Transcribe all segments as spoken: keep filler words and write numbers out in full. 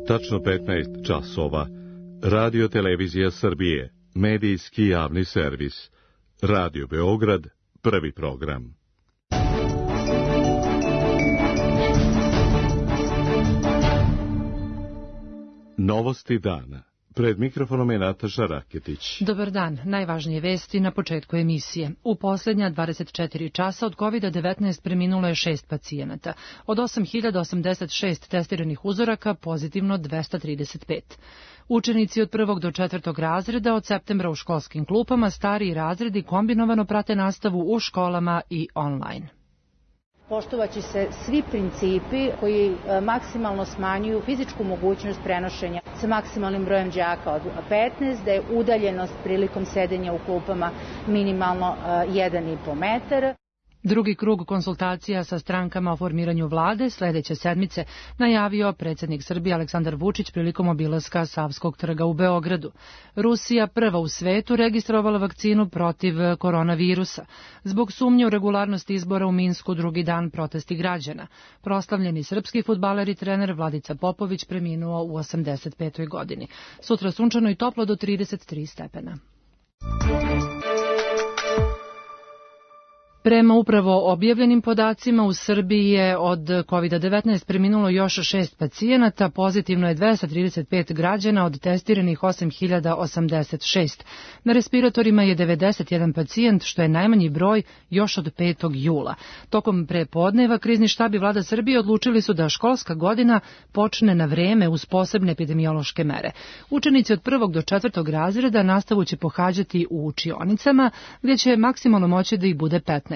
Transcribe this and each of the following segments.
Tačno petnaest časova. Radio Televizija Srbije, medijski javni servis. Radio Beograd, prvi program. Novosti dana. Pred mikrofonom je Nataša Raketić. Dobar dan, najvažnije vesti na početku emisije. U posljednja dvadeset četiri časa od kovid devetnaest preminulo je šest pacijenata. Od osam hiljada osamdeset šest testiranih uzoraka pozitivno dvesta trideset pet. Učenici od prvog do četvrtog razreda od septembra u školskim klupama, stariji razredi kombinovano prate nastavu u školama i online. Poštovaće se svi principi koji maksimalno smanjuju fizičku mogućnost prenošenja sa maksimalnim brojem đaka od petnaest, da je udaljenost prilikom sedenja u klupama minimalno jedan i po metar. Drugi krug konsultacija sa strankama o formiranju vlade sledeće sedmice najavio predsjednik Srbije Aleksandar Vučić prilikom obilaska Savskog trga u Beogradu. Rusija prva u svetu registrovala vakcinu protiv koronavirusa. Zbog sumnje u regularnost izbora u Minsku drugi dan protesti građana. Proslavljeni srpski fudbaler i trener Vladica Popović preminuo u osamdeset petoj godini. Sutra sunčano i toplo do trideset tri stepena. Prema upravo objavljenim podacima u Srbiji je od kovid devetnaest preminulo još šest pacijenata, pozitivno je dvesta trideset pet građana od testiranih osam hiljada osamdeset šest. Na respiratorima je devedeset jedan pacijent, što je najmanji broj još od petog jula. Tokom prepodneva krizni štab i vlada Srbije odlučili su da školska godina počne na vreme uz posebne epidemiološke mere. Učenici od prvog do četvrtog razreda nastavu će pohađati u učionicama, gdje će maksimalno moći da ih bude petnaest.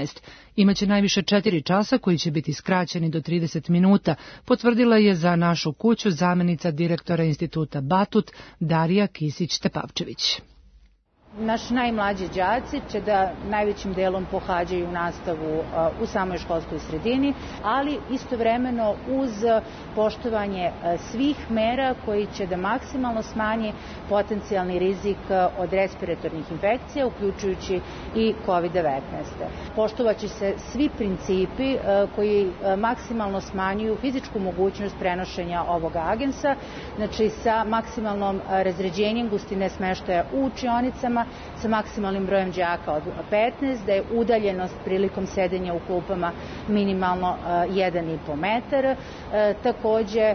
Imaće najviše četiri časa koji će biti skraćeni do trideset minuta, potvrdila je za našu kuću zamenica direktora instituta Batut Darija Kisić-Tepavčević. Naši najmlađi đaci će da najvećim delom pohađaju nastavu u samoj školskoj sredini, ali istovremeno uz poštovanje svih mera koji će da maksimalno smanji potencijalni rizik od respiratornih infekcija, uključujući i kovid devetnaest. Poštovaće se svi principi koji maksimalno smanjuju fizičku mogućnost prenošenja ovog agensa, znači sa maksimalnom razređenjem gustine smeštaja u učionicama, sa maksimalnim brojem đaka od petnaest, da je udaljenost prilikom sedenja u klupama minimalno jedan i po metar. Takođe,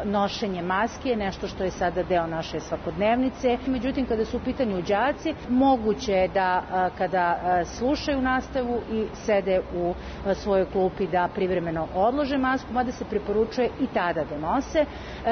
nošenje maske je nešto što je sada deo naše svakodnevnice. Međutim, kada su u pitanju đaci, moguće je da kada slušaju nastavu i sede u svojoj klupi da privremeno odlože masku, mada se preporučuje i tada da nose.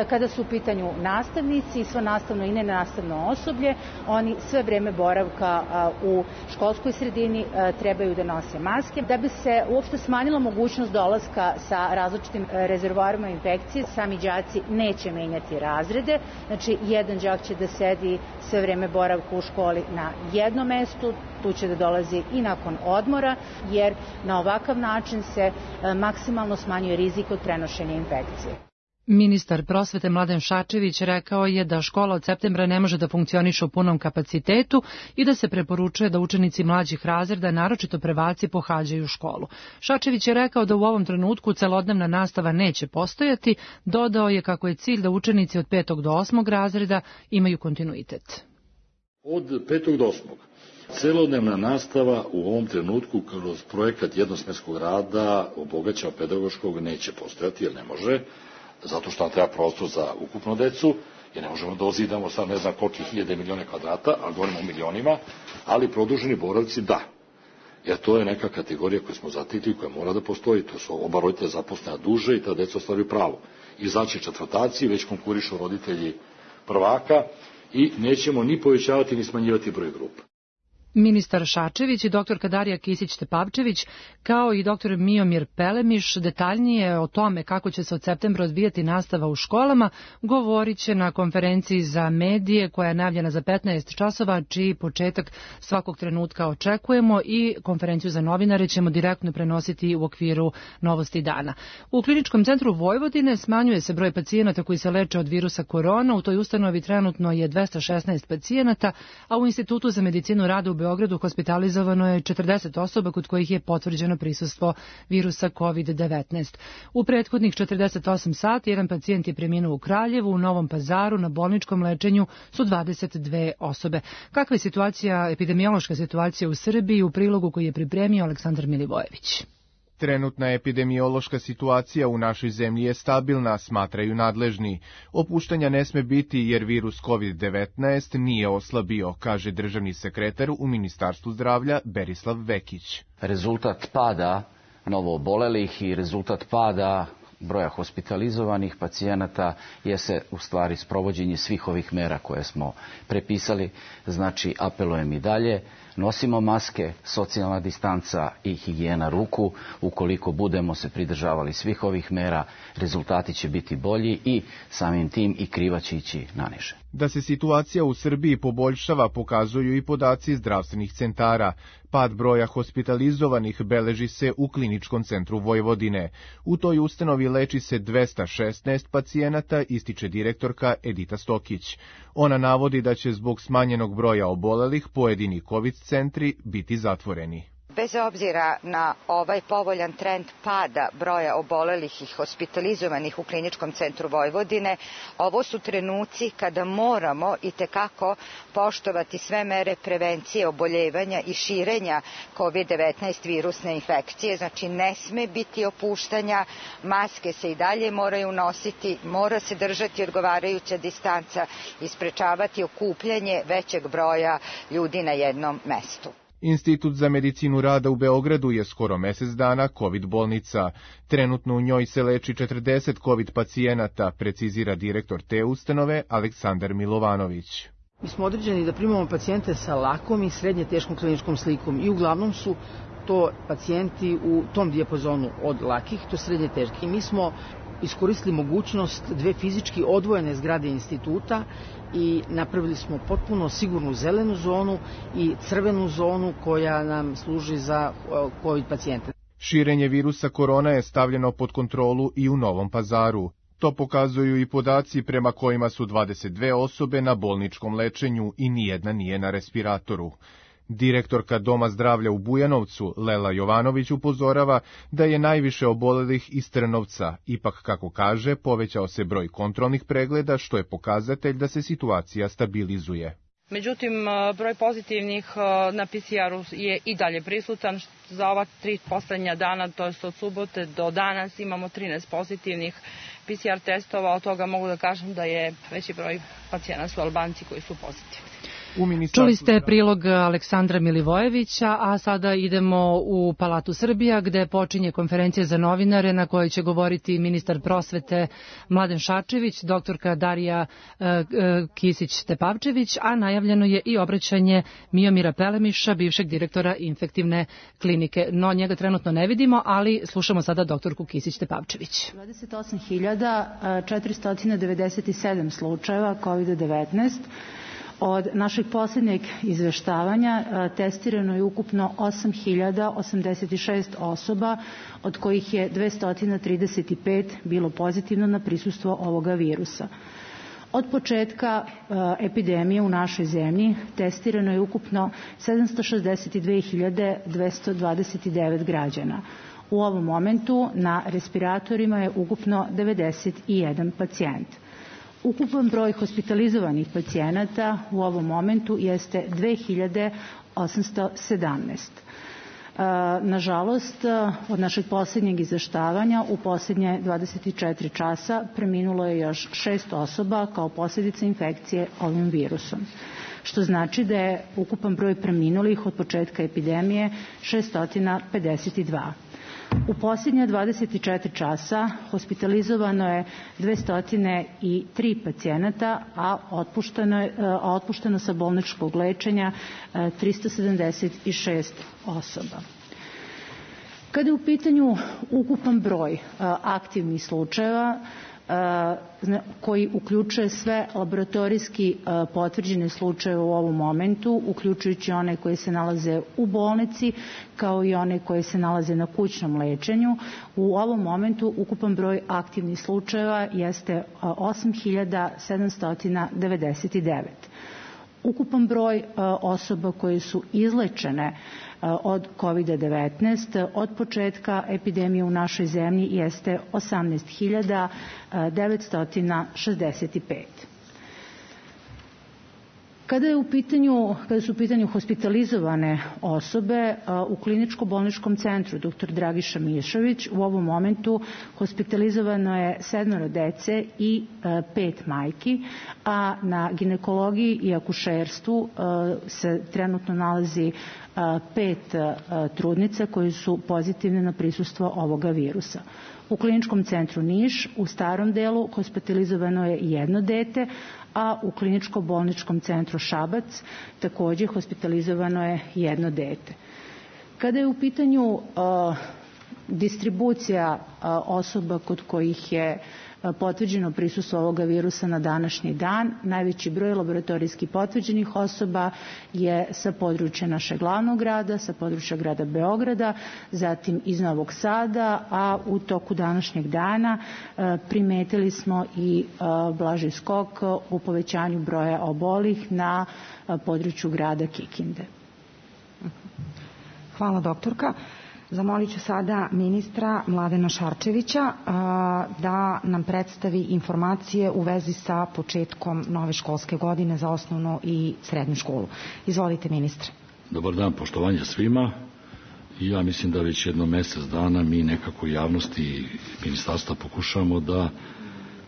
Kada su u pitanju nastavnici i svo nastavno i nenastavno osoblje, oni sve vreme boravka u školskoj sredini trebaju da nose maske. Da bi se uopšte smanjila mogućnost dolaska sa različitim rezervoarima infekcije, sami đaci neće menjati razrede, znači jedan đak će da sedi sve vreme boravka u školi na jednom mestu, tu će da dolazi i nakon odmora, jer na ovakav način se maksimalno smanjuje rizik od prenošenja infekcije. Ministar prosvete Mladen Šarčević rekao je da škola od septembra ne može da funkcioniše u punom kapacitetu i da se preporučuje da učenici mlađih razreda, naročito prvaci, pohađaju školu. Šarčević je rekao da u ovom trenutku celodnevna nastava neće postojati, dodao je kako je cilj da učenici od petog do osmog razreda imaju kontinuitet. Od petog do osmog. Celodnevna nastava u ovom trenutku kroz projekat jednosmenskog rada obogaćenog pedagoškog neće postojati, jer ne može, zato što nam treba prostor za ukupnu decu, jer ne možemo da ozidamo sad ne znam koliki hiljade milijone kvadrata, a govorimo o milionima, ali produženi boravci da. Jer to je neka kategorija koju smo zatikli, koja mora da postoji, to su oba roditelja zaposlena duže i ta deca ostvaruju pravo. Izaći četvrtaci, već konkurišu roditelji prvaka i nećemo ni povećavati ni smanjivati broj grupa. Ministar Šarčević i doktorka Darija Kisić-Tepavčević, kao i doktor Miomir Pelemiš, detaljnije o tome kako će se od septembra odvijati nastava u školama, govorit će na konferenciji za medije koja je najavljena za petnaest časova, čiji početak svakog trenutka očekujemo, i konferenciju za novinare ćemo direktno prenositi u okviru Novosti dana. U Kliničkom centru Vojvodine smanjuje se broj pacijenata koji se leče od virusa korona. U toj ustanovi trenutno je dvesta šesnaest pacijenata, a u Institutu za medicinu rada u Beogradu Beogradu hospitalizovano je četrdeset osoba kod kojih je potvrđeno prisustvo virusa kovid devetnaest. U prethodnih četrdeset osam sati jedan pacijent je preminuo u Kraljevu, u Novom Pazaru na bolničkom lečenju su dvadeset dve osobe. Kakva je situacija, epidemiološka situacija u Srbiji, u prilogu koji je pripremio Aleksandar Milivojević? Trenutna epidemiološka situacija u našoj zemlji je stabilna, smatraju nadležni. Opuštanja ne sme biti jer virus kovid devetnaest nije oslabio, kaže državni sekretar u Ministarstvu zdravlja Berislav Vekić. Rezultat pada novoobolelih i rezultat pada broja hospitalizovanih pacijenata je se u stvari sprovođenje svih ovih mera koje smo prepisali. Znači, apelujem i dalje, nosimo maske, socijalna distanca i higijena ruku. Ukoliko budemo se pridržavali svih ovih mera, rezultati će biti bolji i samim tim i kriva će ići naniže. Da se situacija u Srbiji poboljšava pokazuju i podaci zdravstvenih centara. Pad broja hospitalizovanih beleži se u Kliničkom centru Vojvodine. U toj ustanovi leči se dvesta šesnaest pacijenata, ističe direktorka Edita Stokić. Ona navodi da će zbog smanjenog broja obolelih pojedini kovid centri biti zatvoreni. Bez obzira na ovaj povoljan trend pada broja obolelih i hospitalizovanih u Kliničkom centru Vojvodine, ovo su trenuci kada moramo itekako poštovati sve mere prevencije oboljevanja i širenja kovid devetnaest virusne infekcije. Znači, ne sme biti opuštanja, maske se i dalje moraju nositi, mora se držati odgovarajuća distanca i sprečavati okupljanje većeg broja ljudi na jednom mestu. Institut za medicinu rada u Beogradu je skoro mesec dana kovid bolnica. Trenutno u njoj se leči četrdeset kovid pacijenata, precizira direktor te ustanove Aleksandar Milovanović. Mi smo određeni da primamo pacijente sa lakom i srednje teškom kliničkom slikom i uglavnom su to pacijenti u tom dijapazonu od lakih do srednje teških. I mi smo iskoristili mogućnost dve fizički odvojene zgrade instituta i napravili smo potpuno sigurnu zelenu zonu i crvenu zonu koja nam služi za kovid pacijente. Širenje virusa korona je stavljeno pod kontrolu i u Novom Pazaru. To pokazuju i podaci prema kojima su dvadeset dve osobe na bolničkom lečenju i nijedna nije na respiratoru. Direktorka Doma zdravlja u Bujanovcu, Lela Jovanović, upozorava da je najviše obolelih iz Trnovca. Ipak, kako kaže, povećao se broj kontrolnih pregleda, što je pokazatelj da se situacija stabilizuje. Međutim, broj pozitivnih na P C R-u je i dalje prisutan. Za ova tri poslednja dana, to je od subote do danas, imamo trinaest pozitivnih P C R testova. Od toga mogu da kažem da je veći broj pacijenata su Albanci koji su pozitivni. Čuli ste prilog Aleksandra Milivojevića, a sada idemo u Palatu Srbija gde počinje konferencija za novinare na kojoj će govoriti ministar prosvete Mladen Šarčević, doktorka Darija Kisić-Tepavčević, a najavljeno je i obraćanje Miomira Pelemiša, bivšeg direktora infektivne klinike. No, njega trenutno ne vidimo, ali slušamo sada doktorku Kisić-Tepavčević. dvadeset osam hiljada četiristo devedeset sedam slučajeva kovid devetnaest. Od našeg posljednjeg izveštavanja testirano je ukupno osam hiljada osamdeset šest osoba, od kojih je dvesta trideset pet bilo pozitivno na prisustvo ovoga virusa. Od početka epidemije u našoj zemlji testirano je ukupno sedamsto šezdeset dve hiljade dvesta dvadeset devet građana. U ovom momentu na respiratorima je ukupno devedeset jedan pacijent. Ukupan broj hospitalizovanih pacijenata u ovom momentu jeste dve hiljade osamsto sedamnaest. Nažalost, od našeg posljednjeg izveštavanja u posljednje dvadeset četiri časa preminulo je još šest osoba kao posljedica infekcije ovim virusom, što znači da je ukupan broj preminulih od početka epidemije šesto pedeset dva. U posljednja dvadeset četiri časa hospitalizovano je dvesta tri pacijenata, a otpušteno, je, a otpušteno sa bolničkog lečenja trista sedamdeset šest osoba. Kada je u pitanju ukupan broj aktivnih slučajeva, koji uključuje sve laboratorijski potvrđene slučajeve u ovom momentu, uključujući one koji se nalaze u bolnici, kao i one koji se nalaze na kućnom lečenju. U ovom momentu ukupan broj aktivnih slučajeva jeste osam hiljada sedamsto devedeset devet. Ukupan broj osoba koje su izlečene od kovid devetnaest od početka epidemije u našoj zemlji jeste osamnaest hiljada devetsto šezdeset pet. Kada je u pitanju, kada su u pitanju hospitalizovane osobe, u kliničko-bolničkom centru doktor Dragiša Mišović u ovom momentu hospitalizovano je sedmoro dece i pet majki, a na ginekologiji i akušerstvu se trenutno nalazi pet trudnica koji su pozitivne na prisustvo ovoga virusa. U kliničkom centru Niš u starom delu hospitalizovano je jedno dete, a u kliničko-bolničkom centru Šabac takođe hospitalizovano je jedno dete. Kada je u pitanju uh, distribucija uh, osoba kod kojih je potvrđeno prisustvo ovoga virusa na današnji dan, najveći broj laboratorijski potvrđenih osoba je sa područja našeg glavnog grada, sa područja grada Beograda, zatim iz Novog Sada, a u toku današnjeg dana primetili smo i blaži skok u povećanju broja obolih na području grada Kikinde. Hvala, doktorka. Zamolit ću sada ministra Mladena Šarčevića da nam predstavi informacije u vezi sa početkom nove školske godine za osnovnu i srednju školu. Izvolite, ministre. Dobar dan, poštovanje svima. Ja mislim da već jedno mesec dana mi nekako javnosti i ministarstva pokušamo da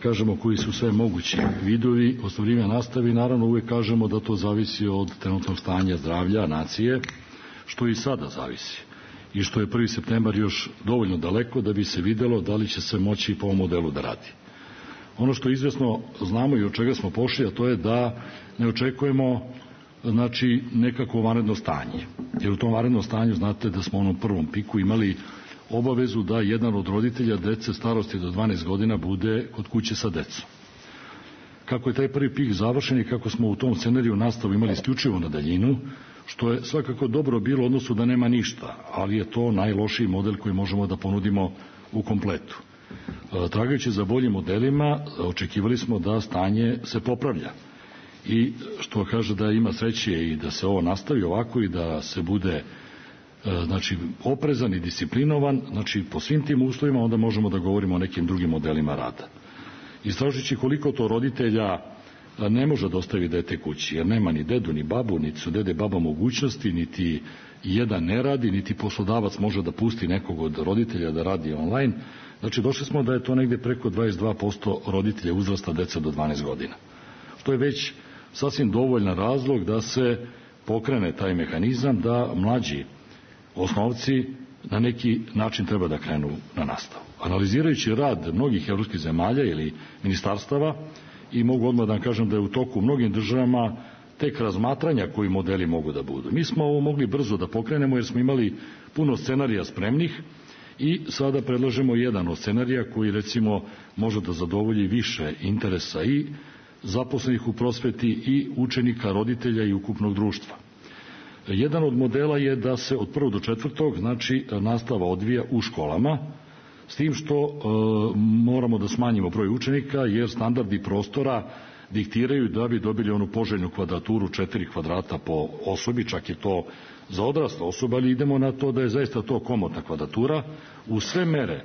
kažemo koji su sve mogući vidovi ostvarivanja nastave i naravno uvek kažemo da to zavisi od trenutnog stanja zdravlja nacije, što i sada zavisi. I što je prvi septembar još dovoljno daleko da bi se videlo da li će se moći po ovom modelu da radi. Ono što izvesno znamo i od čega smo pošli, a to je da ne očekujemo znači, nekako vanredno stanje. Jer u tom vanrednom stanju znate da smo u onom prvom piku imali obavezu da jedan od roditelja dece starosti do dvanaest godina bude kod kuće sa decom. Kako je taj prvi pik završen i kako smo u tom scenariju nastavu imali isključivo na daljinu, što je svakako dobro bilo u odnosu da nema ništa, ali je to najlošiji model koji možemo da ponudimo u kompletu. Tragajući za boljim modelima, očekivali smo da stanje se popravlja. I što kaže da ima sreće i da se ovo nastavi ovako i da se bude znači, oprezan i disciplinovan, znači po svim tim uslovima onda možemo da govorimo o nekim drugim modelima rada. Istražujući koliko to roditelja ne može da ostavi dete kući, jer nema ni dedu, ni babu, niti su dede baba mogućnosti, niti jedan ne radi, niti poslodavac može da pusti nekog od roditelja da radi online. Znači, došli smo da je to negde preko dvadeset dva posto roditelja uzrasta deca do dvanaest godina. Što je već sasvim dovoljan razlog da se pokrene taj mehanizam da mlađi osnovci na neki način treba da krenu na nastavu. Analizirajući rad mnogih evropskih zemalja ili ministarstava, i mogu odmah da vam kažem da je u toku u mnogim državama tek razmatranja koji modeli mogu da budu. Mi smo ovo mogli brzo da pokrenemo jer smo imali puno scenarija spremnih i sada predlažemo jedan od scenarija koji recimo može da zadovolji više interesa i zaposlenih u prosveti i učenika, roditelja i ukupnog društva. Jedan od modela je da se od prvog do četvrtog znači nastava odvija u školama, s tim što e, moramo da smanjimo broj učenika jer standardi prostora diktiraju da bi dobili onu poželjnu kvadraturu četiri kvadrata po osobi, čak je to za odrasla osoba, ali idemo na to da je zaista to komotna kvadratura u sve mere,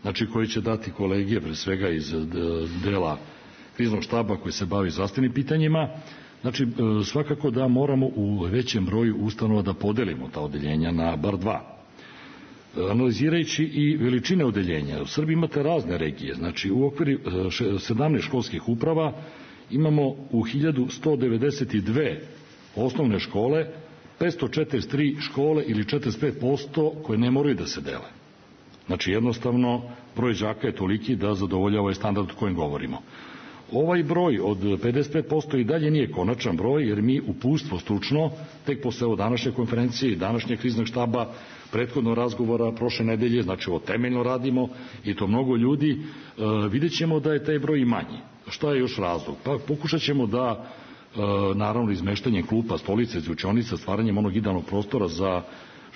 znači koje će dati kolegije, pre svega iz dela kriznog štaba koji se bavi zdravstvenim pitanjima. Znači, svakako da moramo u većem broju ustanova da podelimo ta odeljenja na bar dva. Analizirajući i veličine odeljenja, u Srbiji imate razne regije, znači u okviru sedamnaest školskih uprava imamo u hiljadu sto devedeset dve osnovne škole, petsto četrdeset tri škole ili četrdeset pet posto koje ne moraju da se dele. Znači jednostavno broj đaka je toliki da zadovoljava ovaj standard o kojem govorimo. Ovaj broj od pedeset pet posto i dalje nije konačan broj, jer mi uputstvo stručno, tek posle ovo današnje konferencije i današnjeg kriznog štaba, prethodno razgovora prošle nedelje, znači ovo temeljno radimo i to mnogo ljudi, e, vidjet ćemo da je taj broj i manji. Šta je još razlog? Pa pokušat ćemo da, e, naravno, izmeštanjem klupa, stolice, učionica, stvaranjem onog idealnog prostora za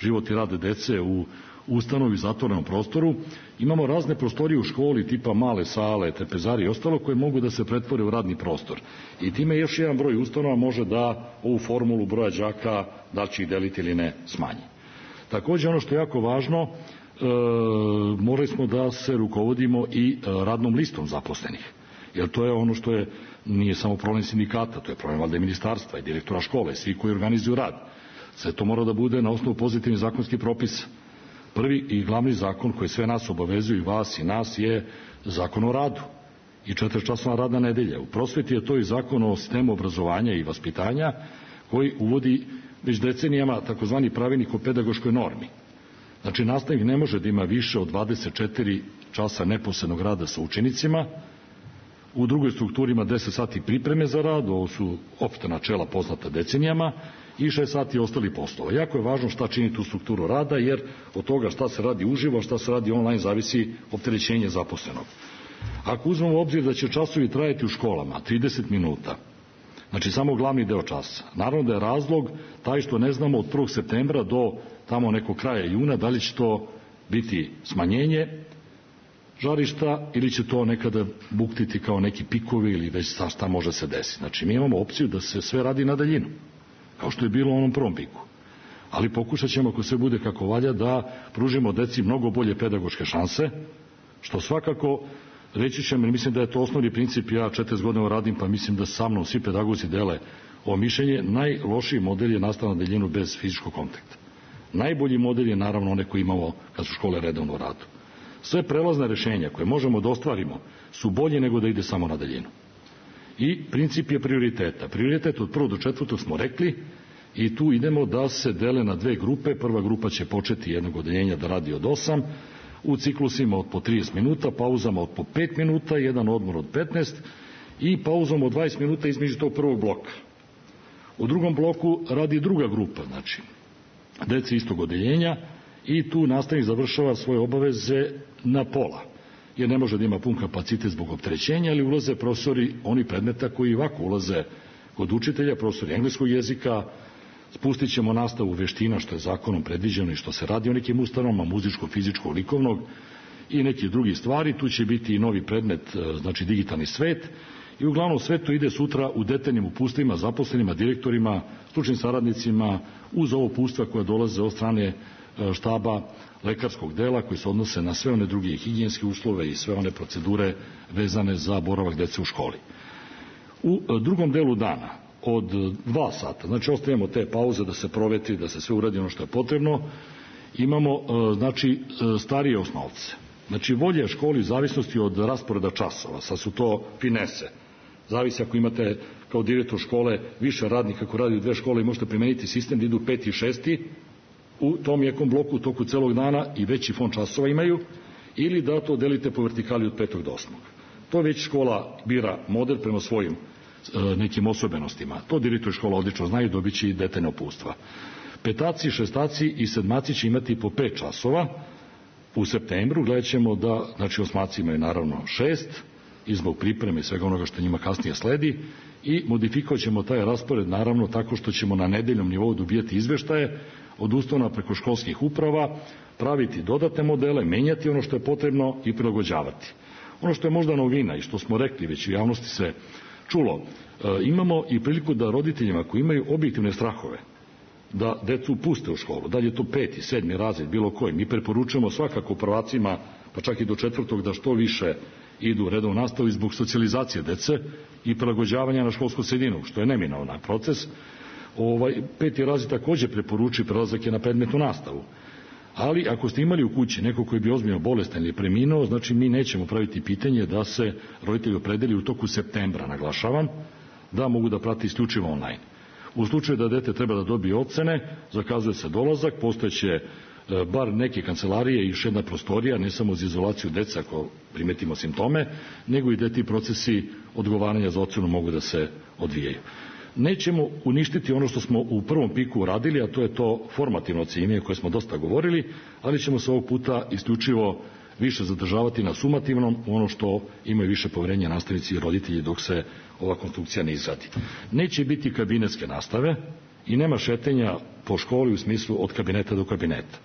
život i rad dece u ustanovi u zatvorenom prostoru. Imamo razne prostorije u školi, tipa male sale, trpezari i ostalo, koje mogu da se pretvore u radni prostor. I time još jedan broj ustanova može da ovu formulu broja đaka, da li će ih deliti ili ne, smanji. Takođe, ono što je jako važno, e, morali smo da se rukovodimo i radnom listom zaposlenih. Jer to je ono što je, nije samo problem sindikata, to je problem valjda i ministarstva i direktora škole, svi koji organizuju rad. Sve to mora da bude na osnovu pozitivnih zakonskih propisa. Prvi i glavni zakon koji sve nas obavezuju, i vas i nas, je zakon o radu i četiričasovna radna nedelja. U prosveti je to i zakon o sistemu obrazovanja i vaspitanja koji uvodi već decenijama takozvani pravilnik o pedagoškoj normi. Znači, nastavnik ne može da ima više od dvadeset četiri časa neposrednog rada sa učenicima, u drugoj strukturi ima deset sati pripreme za rad, ovo su opšta načela poznata decenijama, i šest sati ostali poslova. Jako je važno šta čini tu strukturu rada, jer od toga šta se radi uživo, šta se radi online, zavisi opterećenje zaposlenog. Ako uzmemo u obzir da će časovi trajati u školama trideset minuta, znači samo glavni deo časa, naravno da je razlog taj što ne znamo od prvog septembra do tamo nekog kraja juna da li će to biti smanjenje žarišta ili će to nekada buktiti kao neki pikovi ili već šta može se desiti. Znači, mi imamo opciju da se sve radi na daljinu, kao što je bilo u onom prvom piku. Ali pokušat ćemo, ako sve bude kako valja, da pružimo deci mnogo bolje pedagoške šanse, što svakako, reći ćemo, mislim da je to osnovni princip, ja četrdeset godina radim, pa mislim da sa mnom svi pedagozi dele ovo mišljenje, najlošiji model je nastava na daljinu bez fizičkog kontakta. Najbolji model je naravno one koje imamo kad su škole redovno u radu. Sve prelazne rešenja koje možemo da ostvarimo su bolje nego da ide samo na daljinu. I princip je prioriteta. Prioritet od prvog do četvrtog smo rekli i tu idemo da se dele na dve grupe. Prva grupa će početi jednog odeljenja da radi od osam, u ciklusima od po trideset minuta, pauzama od po pet minuta, jedan odmor od petnaest i pauzom od dvadeset minuta između tog prvog bloka. U drugom bloku radi druga grupa, znači dece istog odeljenja, i tu nastavnik završava svoje obaveze na pola, jer ne može da ima pun kapacitet zbog opterećenja, ali ulaze profesori oni predmeta koji ovako ulaze kod učitelja, profesori engleskog jezika. Spustit ćemo nastavu veština, što je zakonom predviđeno i što se radi o nekim ustanovama, muzičko, fizičko, likovnog i neke drugi stvari. Tu će biti i novi predmet, znači digitalni svet, i uglavnom sve to ide sutra u detaljnim upustvima zaposlenima, direktorima, stručnim saradnicima, uz ovo upustva koja dolaze od strane štaba lekarskog dela, koji se odnose na sve one druge higijenske uslove i sve one procedure vezane za boravak dece u školi. U drugom delu dana od dva sata, znači ostavljamo te pauze da se provetri, da se sve uradi ono što je potrebno, imamo znači starije osnovce. Znači volje školi u zavisnosti od rasporeda časova, sad su to finese. Zavisi ako imate kao direktor škole više radnika koji radi u dve škole i možete primeniti sistem da idu peti i šesti, u tom nekom bloku u toku celog dana i veći fond časova imaju, ili da to delite po vertikali od petog do osmog. To već škola bira model prema svojim e, nekim osobenostima. To direktor škola odlično znaju, dobit će i detaljne upustva. Petaci, šestaci i sedmaci će imati po pet časova. U septembru gledat ćemo da, znači osmaci imaju naravno šest, i zbog pripreme i svega onoga što njima kasnije sledi, i modifikovat ćemo taj raspored naravno tako što ćemo na nedeljnom nivou dobijati izveštaje od ustanova preko školskih uprava, praviti dodatne modele, menjati ono što je potrebno i prilagođavati. Ono što je možda novina i što smo rekli već u javnosti se čulo, e, imamo i priliku da roditeljima koji imaju objektivne strahove da decu puste u školu, da li je to peti, sedmi razred, bilo koji, mi preporučujemo svakako prvacima, pa čak i do četvrtog, da što više idu u redovnu nastavu zbog socijalizacije dece i prilagođavanja na školsku sredinu, što je neminovan proces. Ovaj, peti razred takođe preporuči prelazak je na predmetnu nastavu. Ali ako ste imali u kući neko koji bi ozbiljno bolestan ili preminuo, znači mi nećemo praviti pitanje da se roditelji opredeli u toku septembra, naglašavam, da mogu da prati isključivo online. U slučaju da dete treba da dobije ocene, zakazuje se dolazak, postojeće bar neke kancelarije i još jedna prostorija, ne samo za izolaciju deca ako primetimo simptome, nego i da ti procesi odgovaranja za ocenu mogu da se odvijaju. Nećemo uništiti ono što smo u prvom piku uradili, a to je to formativno ocenjivanje koje smo dosta govorili, ali ćemo se ovog puta isključivo više zadržavati na sumativnom, ono što imaju više poverenja nastavnici i roditelji dok se ova konstrukcija ne izradi. Neće biti kabinetske nastave i nema šetenja po školi u smislu od kabineta do kabineta.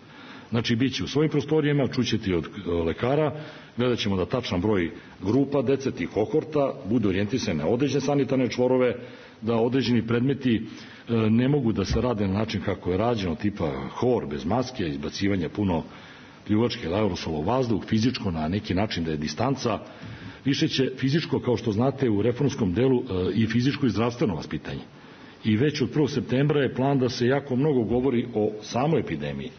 Znači, bit će u svojim prostorijama, čućete od lekara, gledat ćemo da tačan broj grupa dece, tih kohorta, budu orijentisane na određene sanitarne čvorove, da određeni predmeti ne mogu da se rade na način kako je rađeno, tipa hor bez maske, izbacivanje puno pljuvačke ili aerosola u vazduh, fizičko na neki način da je distanca. Više će fizičko, kao što znate, u reformskom delu i fizičko i zdravstveno vaspitanje. I već od prvog septembra je plan da se jako mnogo govori o samoj epidemiji.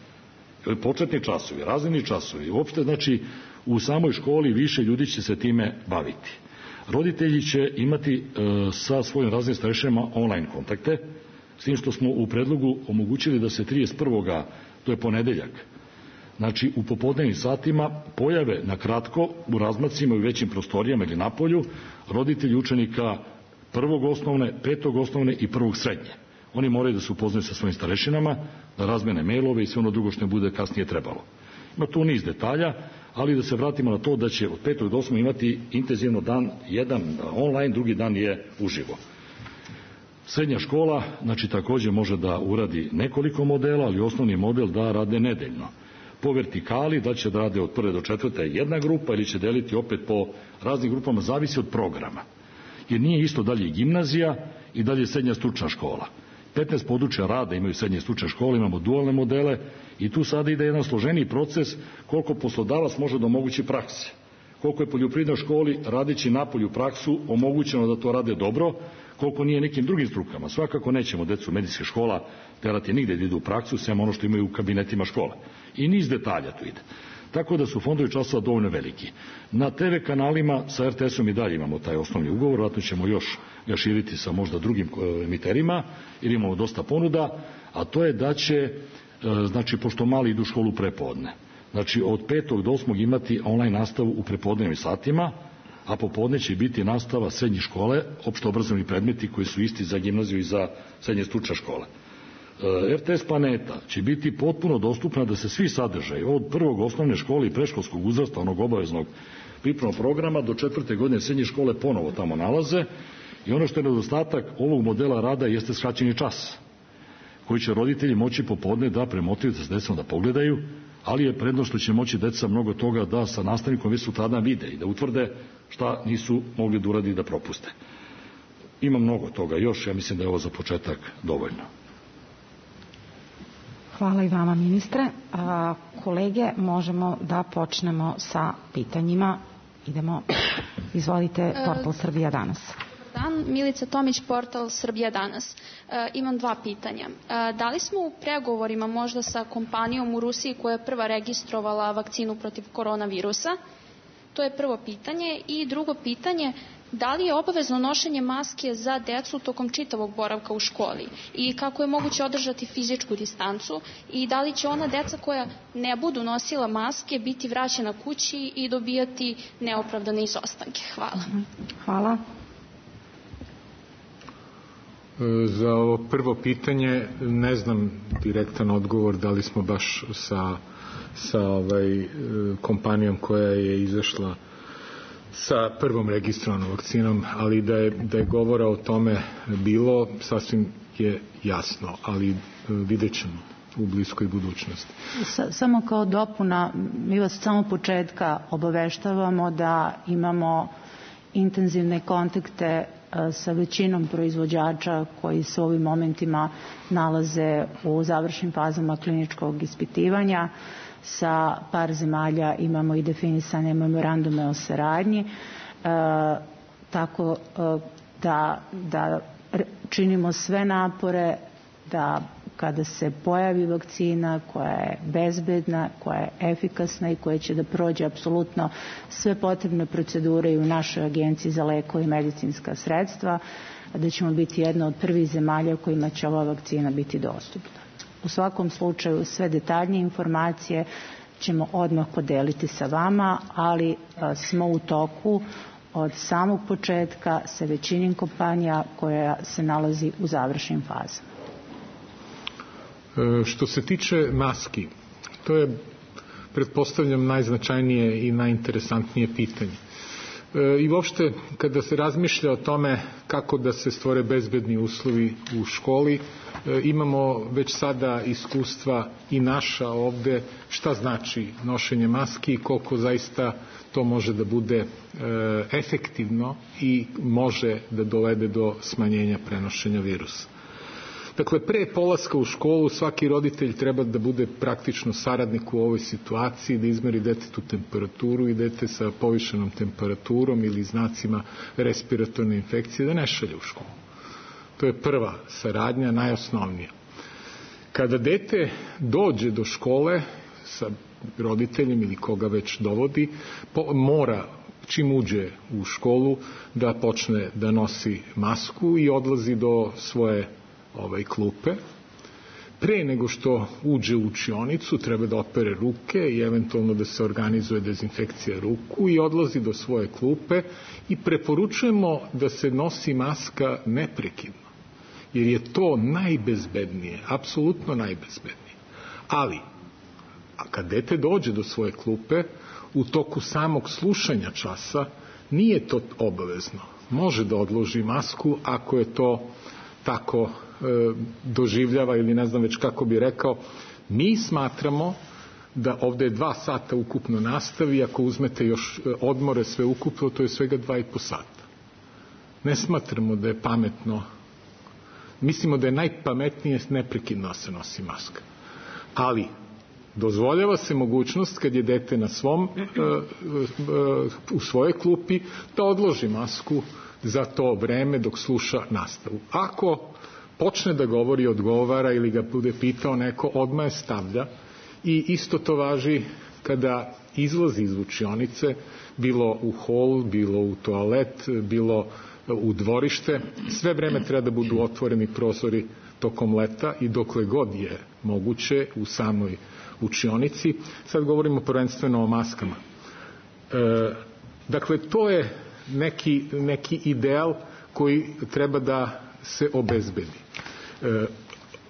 Početni časovi, razredni časovi, uopšte znači u samoj školi više ljudi će se time baviti. Roditelji će imati e, sa svojim razrednim starešinama online kontakte, s tim što smo u predlogu omogućili da se trideset prvog to je ponedeljak, znači u popodnevnim satima pojave na kratko u razmacima i većim prostorijama ili napolju roditelji učenika prvog osnovne, petog osnovne i prvog srednje. Oni moraju da se upoznaju sa svojim starešinama, da razmene mailove i sve ono drugo što ne bude kasnije trebalo. Ima tu niz detalja, ali da se vratimo na to da će od petog do osmog imati intenzivno dan, jedan online, drugi dan je uživo. Srednja škola, znači također može da uradi nekoliko modela, ali osnovni model da rade nedeljno. Po vertikali, da će da rade od prve do četvrte jedna grupa ili će deliti opet po raznim grupama, zavisi od programa. Jer nije isto dalje gimnazija i dalje srednja stručna škola. petnaest područja rada imaju srednje stručne škole, imamo dualne modele i tu sada ide jedan složeniji proces koliko poslodavac može da omogući prakse. Koliko je poljoprivrednoj školi radeći napolju praksu omogućeno da to rade dobro, koliko nije nekim drugim strukama. Svakako nećemo decu medicinske škola terati nigde da idu u praksu, sem ono što imaju u kabinetima škole. I niz detalja tu ide. Tako da su fondovi časova dovoljno veliki. Na te ve kanalima sa er te esom i dalje imamo taj osnovni ugovor, vratno ćemo još ga širiti sa možda drugim emiterima, jer imamo dosta ponuda, a to je da će, znači, pošto mali idu u školu prepodne, znači od petog do osmog imati online nastavu u prepodnevnim satima, a popodne će biti nastava srednje škole, opšto obrazovni predmeti koji su isti za gimnaziju i za srednje stručne škole. er te es Planeta će biti potpuno dostupna da se svi sadržaji od prvog osnovne škole i predškolskog uzrasta, onog obaveznog pripremnog programa, do četvrte godine srednje škole ponovo tamo nalaze. I ono što je nedostatak ovog modela rada jeste skraćeni čas, koji će roditelji moći popodne da premotriju da s decom da pogledaju, ali je prednost što će moći deca mnogo toga da sa nastavnikom već sutradan vide i da utvrde šta nisu mogli da uradi da propuste. Ima mnogo toga još, ja mislim da je ovo za početak dovoljno. Hvala i vama, ministre. A, kolege, možemo da počnemo sa pitanjima. Idemo, izvolite, portal Srbija danas. Dan, Milica Tomić, portal Srbija danas. E, imam dva pitanja. E, da li smo u pregovorima možda sa kompanijom u Rusiji koja je prva registrovala vakcinu protiv koronavirusa? To je prvo pitanje. I drugo pitanje, da li je obavezno nošenje maske za decu tokom čitavog boravka u školi i kako je moguće održati fizičku distancu i da li će ona deca koja ne budu nosila maske biti vraćena kući i dobijati neopravdane izostanke? Hvala. Hvala. Za ovo prvo pitanje ne znam direktan odgovor da li smo baš sa, sa ovaj, kompanijom koja je izašla sa prvom registrovanom vakcinom, ali da je, da je govora o tome bilo, sasvim je jasno, ali vidjet ćemo u bliskoj budućnosti. Samo kao dopuna, mi vas samo početka obaveštavamo da imamo intenzivne kontakte sa većinom proizvođača koji se u ovim momentima nalaze u završnim fazama kliničkog ispitivanja. Sa par zemalja imamo i definisane memorandume o saradnji, e, tako e, da, da činimo sve napore da kada se pojavi vakcina koja je bezbedna, koja je efikasna i koja će da prođe apsolutno sve potrebne procedure i u našoj agenciji za lekove i medicinska sredstva, da ćemo biti jedna od prvih zemalja kojima će ova vakcina biti dostupna. U svakom slučaju sve detaljnije informacije ćemo odmah podeliti sa vama, ali a, smo u toku od samog početka sa većinom kompanija koja se nalazi u završnim fazama. Što se tiče maski, to je, pretpostavljam, najznačajnije i najinteresantnije pitanje. I uopšte, kada se razmišlja o tome kako da se stvore bezbedni uslovi u školi, imamo već sada iskustva i naša ovde šta znači nošenje maski i koliko zaista to može da bude efektivno i može da dovede do smanjenja prenošenja virusa. Dakle, pre polaska u školu svaki roditelj treba da bude praktično saradnik u ovoj situaciji, da izmeri detetu temperaturu i dete sa povišenom temperaturom ili znacima respiratorne infekcije da ne šalje u školu. To je prva saradnja, najosnovnija. Kada dete dođe do škole sa roditeljem ili koga već dovodi, mora čim uđe u školu da počne da nosi masku i odlazi do svoje ovaj klupe. Pre nego što uđe u učionicu treba da opere ruke i eventualno da se organizuje dezinfekcija ruku i odlazi do svoje klupe i preporučujemo da se nosi maska neprekidno, jer je to najbezbednije, apsolutno najbezbednije. Ali, a kad dete dođe do svoje klupe, u toku samog slušanja časa nije to obavezno. Može da odloži masku ako je to tako doživljava ili ne znam već kako bi rekao. Mi smatramo da ovde je dva sata ukupno nastavi, ako uzmete još odmore sve ukupno, to je svega dva i po sata. Ne smatramo da je pametno, mislimo da je najpametnije neprekidno se nosi maska. Ali dozvoljava se mogućnost kad je dete na svom u svojoj klupi da odloži masku za to vreme dok sluša nastavu. Ako počne da govori, odgovara ili ga bude pitao neko, odmah je stavlja i isto to važi kada izlazi iz učionice, bilo u hol, bilo u toalet, bilo u dvorište, sve vreme treba da budu otvoreni prozori tokom leta i dokle god je moguće u samoj učionici. Sad govorimo prvenstveno o maskama. E, dakle, to je neki, neki ideal koji treba da se obezbedi. E,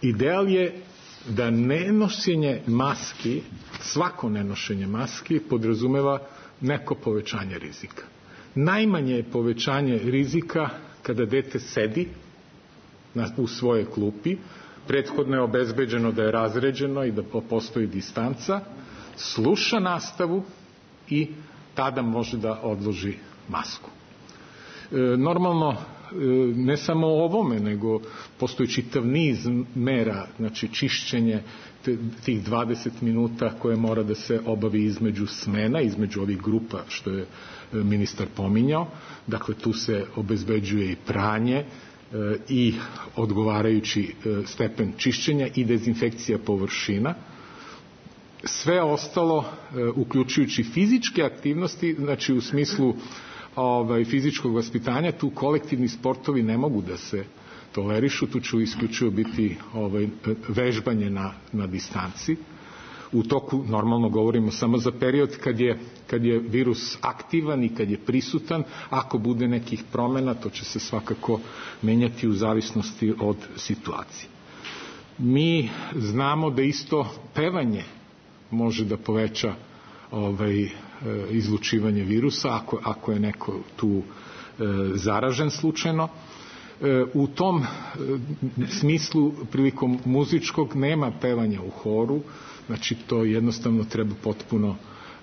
ideal je da nenošenje maski, svako nenošenje maski podrazumeva neko povećanje rizika. Najmanje je povećanje rizika kada dete sedi na, u svojoj klupi, prethodno je obezbeđeno da je razređeno i da postoji distanca, sluša nastavu i tada može da odloži masku. E, normalno, ne samo o ovome, nego postoji čitav niz mera, znači čišćenje tih dvadeset minuta koje mora da se obavi između smena, između ovih grupa što je ministar pominjao. Dakle, tu se obezbeđuje i pranje i odgovarajući stepen čišćenja i dezinfekcija površina. Sve ostalo, uključujući fizičke aktivnosti, znači u smislu ovaj, fizičkog vaspitanja, tu kolektivni sportovi ne mogu da se tolerišu, tu će isključivo biti ovaj, vežbanje na, na distanci. U toku, normalno govorimo samo za period kad je, kad je virus aktivan i kad je prisutan. Ako bude nekih promjena, to će se svakako menjati u zavisnosti od situacije. Mi znamo da isto pevanje može da poveća ovaj, izlučivanje virusa ako, ako je neko tu e, zaražen slučajno. E, u tom e, smislu prilikom muzičkog nema pevanja u horu, znači to jednostavno treba potpuno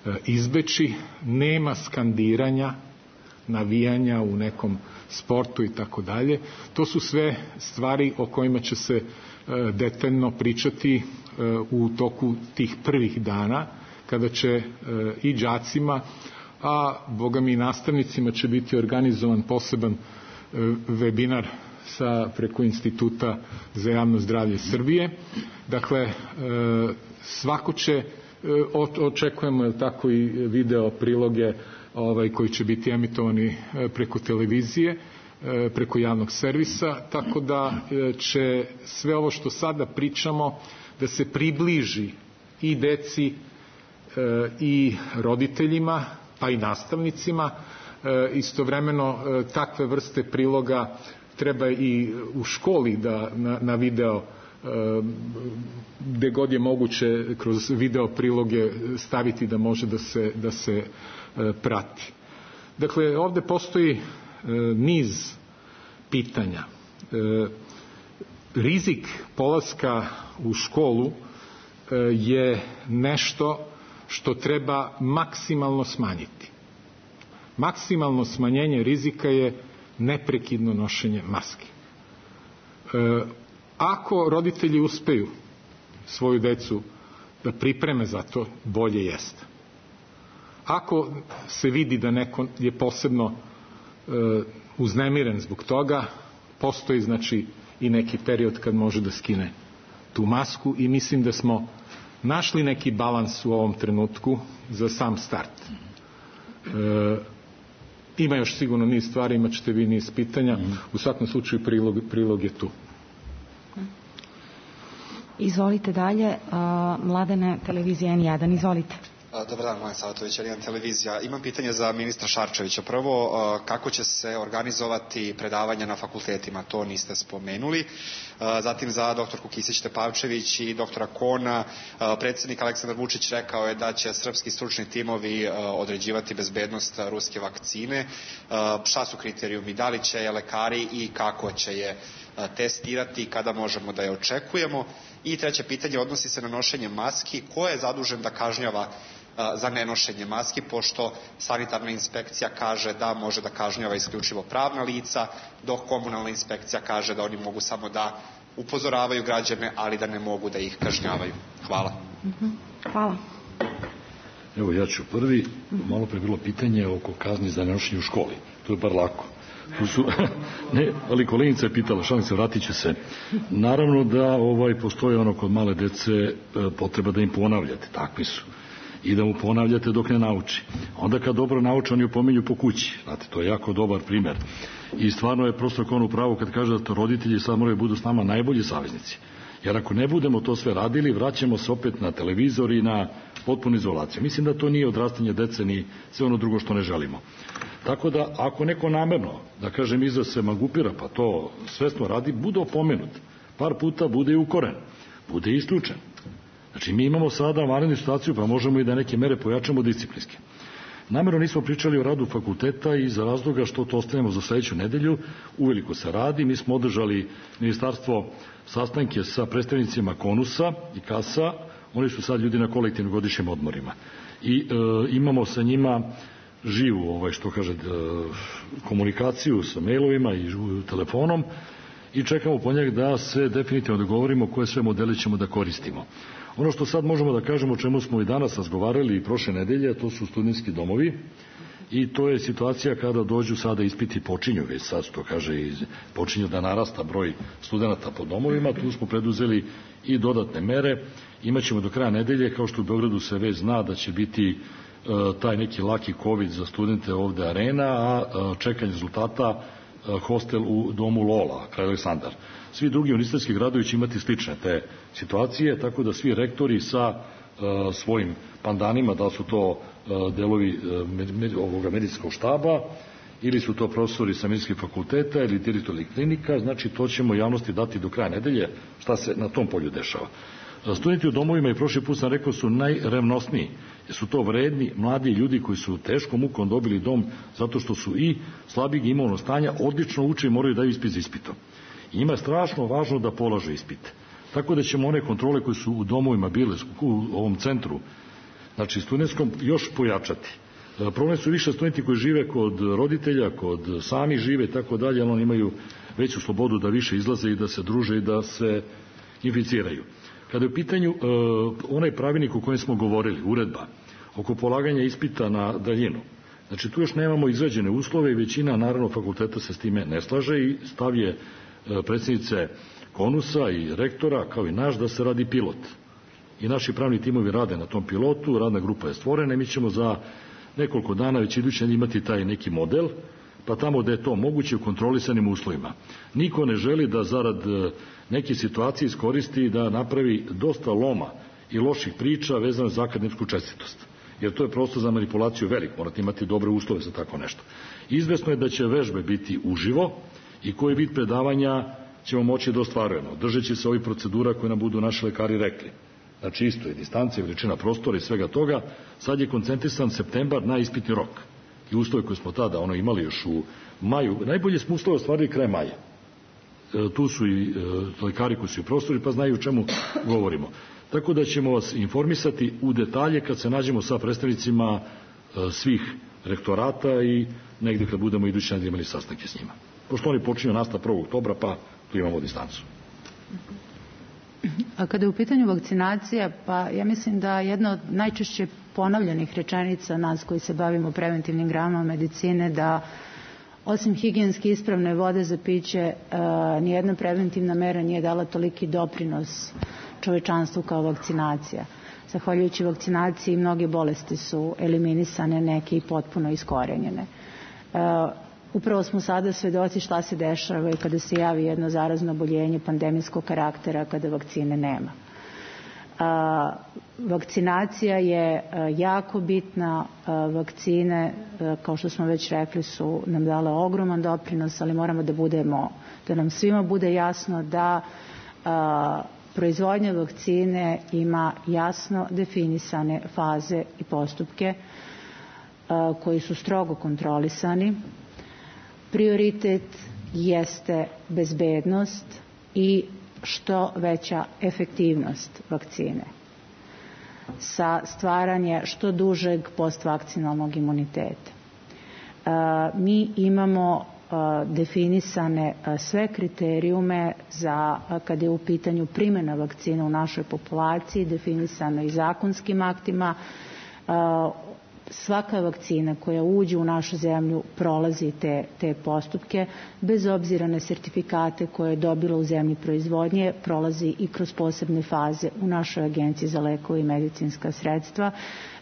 e, izbeći, nema skandiranja, navijanja u nekom sportu i tako dalje. To su sve stvari o kojima će se e, detaljno pričati e, u toku tih prvih dana, kada će e, i đacima, a boga mi i nastavnicima će biti organizovan poseban e, webinar sa, preko Instituta za javno zdravlje Srbije. Dakle, e, svako će, e, očekujemo tako i video priloge ovaj, koji će biti emitovani e, preko televizije, e, preko javnog servisa, tako da e, će sve ovo što sada pričamo da se približi i deci i roditeljima, pa i nastavnicima. Istovremeno takve vrste priloga treba i u školi da na, na video, gde god je moguće kroz video priloge staviti da može da se, da se prati. Dakle, ovde postoji e, niz pitanja. E, rizik polaska u školu e, je nešto što treba maksimalno smanjiti. Maksimalno smanjenje rizika je neprekidno nošenje maske. E, ako roditelji uspeju svoju decu da pripreme za to, bolje jeste. Ako se vidi da neko je posebno e, uznemiren zbog toga, postoji znači i neki period kad može da skine tu masku i mislim da smo našli neki balans u ovom trenutku za sam start. E, ima još sigurno niz stvari, imat ćete vi niz pitanja. U svakom slučaju prilog, prilog je tu. Izvolite dalje, uh, Mladene, televizija N jedan, izvolite. Dobar dan, Mladen Savatović, N jedan televizija. Imam pitanje za ministra Šarčevića. Prvo, kako će se organizovati predavanja na fakultetima, to niste spomenuli. Zatim za doktorku Kisić-Tepavčević i doktora Kona. Predsjednik Aleksandar Vučić rekao je da će srpski stručni timovi određivati bezbednost ruske vakcine. Šta su kriterijumi? Da li će je lekari i kako će je testirati, kada možemo da je očekujemo? I treće pitanje odnosi se na nošenje maski. Ko je zadužen da kažnjava za nenošenje maski, pošto sanitarna inspekcija kaže da može da kažnjava isključivo pravna lica, dok komunalna inspekcija kaže da oni mogu samo da upozoravaju građane, ali da ne mogu da ih kažnjavaju. Hvala. Hvala. Evo, ja ću prvi. Malo pre bilo pitanje oko kazni za nenošenje u školi. To je bar lako. Tu su, ne, ali koleginica je pitala, šalim se, vratit ću se. Naravno da ovaj, postoji ono kod male dece potreba da im ponavljate, takvi su. I da mu ponavljate dok ne nauči. Onda kad dobro nauče, oni opominju po kući. Znate, to je jako dobar primer. I stvarno je prosto kao ono pravo kad kaže da to roditelji sad moraju budu s nama najbolji saveznici. Jer ako ne budemo to sve radili, vraćamo se opet na televizor i na potpunu izolaciju. Mislim da to nije odrastanje dece ni sve ono drugo što ne želimo. Tako da, ako neko namerno, da kažem, izraz se magupira, pa to svesno radi, bude opomenut. Par puta bude i ukoren. Bude i isključen. Znači, mi imamo sada vanrednu situaciju, pa možemo i da neke mere pojačamo disciplinske. Namerno nismo pričali o radu fakulteta iz razloga što to ostavljamo za sledeću nedelju. Uveliko se radi. Mi smo održali ministarstvo sastanke sa predstavnicima Konusa i Kasa. Oni su sad ljudi na kolektivnim godišnjim odmorima. I e, imamo sa njima živu, ovaj, što kaže, komunikaciju sa mailovima i telefonom i čekamo po njeg da se definitivno dogovorimo koje sve modele ćemo da koristimo. Ono što sad možemo da kažemo, o čemu smo i danas razgovarali i prošle nedelje, to su studentski domovi i to je situacija kada dođu sada ispiti počinju, već sad što kaže počinju da narasta broj studenta po domovima, tu smo preduzeli i dodatne mere. Imaćemo do kraja nedelje, kao što u Beogradu se već zna da će biti taj neki laki COVID za studente ovde Arena, a čekanje rezultata hostel u domu Lola, kraj Aleksandar. Svi drugi univerzitetski gradovi će imati slične te situacije, tako da svi rektori sa uh, svojim pandanima, da su to uh, delovi uh, med, ovoga medicinskog štaba, ili su to profesori sa medicinskih fakulteta ili direktori klinika, znači to ćemo javnosti dati do kraja nedelje šta se na tom polju dešava. Studenti u domovima, i prošli put sam rekao, su najrevnosniji, jer su to vredni, mladi ljudi koji su teškom mukom dobili dom zato što su i slabijeg imovnog stanja, odlično uče i moraju daju ispit za ispitom. I njima je strašno važno da polaže ispite. Tako da ćemo one kontrole koje su u domovima bile u ovom centru, znači studentskom, još pojačati. Problem su više studenti koji žive kod roditelja, kod sami žive i tako dalje, ali oni imaju veću slobodu da više izlaze i da se druže i da se inficiraju. Kada je u pitanju uh, onaj pravilnik o kojem smo govorili, uredba, oko polaganja ispita na daljinu, znači tu još nemamo izrađene uslove i većina, naravno, fakulteta se s time ne slaže i stav je uh, predsjednice Konusa i rektora, kao i naš, da se radi pilot. I naši pravni timovi rade na tom pilotu, radna grupa je stvorena i mi ćemo za nekoliko dana već iduće imati taj neki model, pa tamo gde je to moguće u kontrolisanim uslovima. Niko ne želi da zarad neke situacije iskoristi da napravi dosta loma i loših priča vezano za akademsku čestitost. Jer to je prosto za manipulaciju velik, morate imati dobre uslove za tako nešto. Izvesno je da će vežbe biti uživo i koji vid predavanja ćemo moći da ostvarujemo, držeći se ovih procedura koje nam budu naši lekari rekli. Znači isto je distancija, veličina prostora i svega toga. Sad je koncentrisan septembar na ispitni rok. i uslove koje smo tada ono imali još u maju, najbolje smo uslove ostvarili kraj maja. E, tu su i e, lekari koji su i profesori pa znaju o čemu govorimo. Tako da ćemo vas informisati u detalje kad se nađemo sa predstavnicima e, svih rektorata i negdje kad budemo idući nedelje imali sastanke s njima. Pošto oni počinju nastav prvog oktobra, pa tu imamo distancu. A kada je u pitanju vakcinacija, pa ja mislim da jedna od najčešće ponavljanih rečenica nas koji se bavimo preventivnim granama medicine, da osim higijenski ispravne vode za piće, nijedna preventivna mera nije dala toliki doprinos čovečanstvu kao vakcinacija. Zahvaljujući vakcinaciji mnoge bolesti su eliminisane, neke i potpuno iskorenjene. Upravo smo sada svedoci šta se dešava i kada se javi jedno zarazno oboljenje pandemijskog karaktera, kada vakcine nema. A, vakcinacija je a, jako bitna, a, vakcine, a, kao što smo već rekli, su nam dale ogroman doprinos, ali moramo da budemo, da nam svima bude jasno da a, proizvodnja vakcine ima jasno definisane faze i postupke a, koji su strogo kontrolisani. Prioritet jeste bezbednost i što veća efektivnost vakcine sa stvaranje što dužeg postvakcinalnog imuniteta. Mi imamo definisane sve kriterijume za kada je u pitanju primjena vakcina u našoj populaciji, definisano i zakonskim aktima. Svaka vakcina koja uđe u našu zemlju prolazi te, te postupke, bez obzira na sertifikate koje je dobila u zemlji proizvodnje, prolazi i kroz posebne faze u našoj agenciji za lekove i medicinska sredstva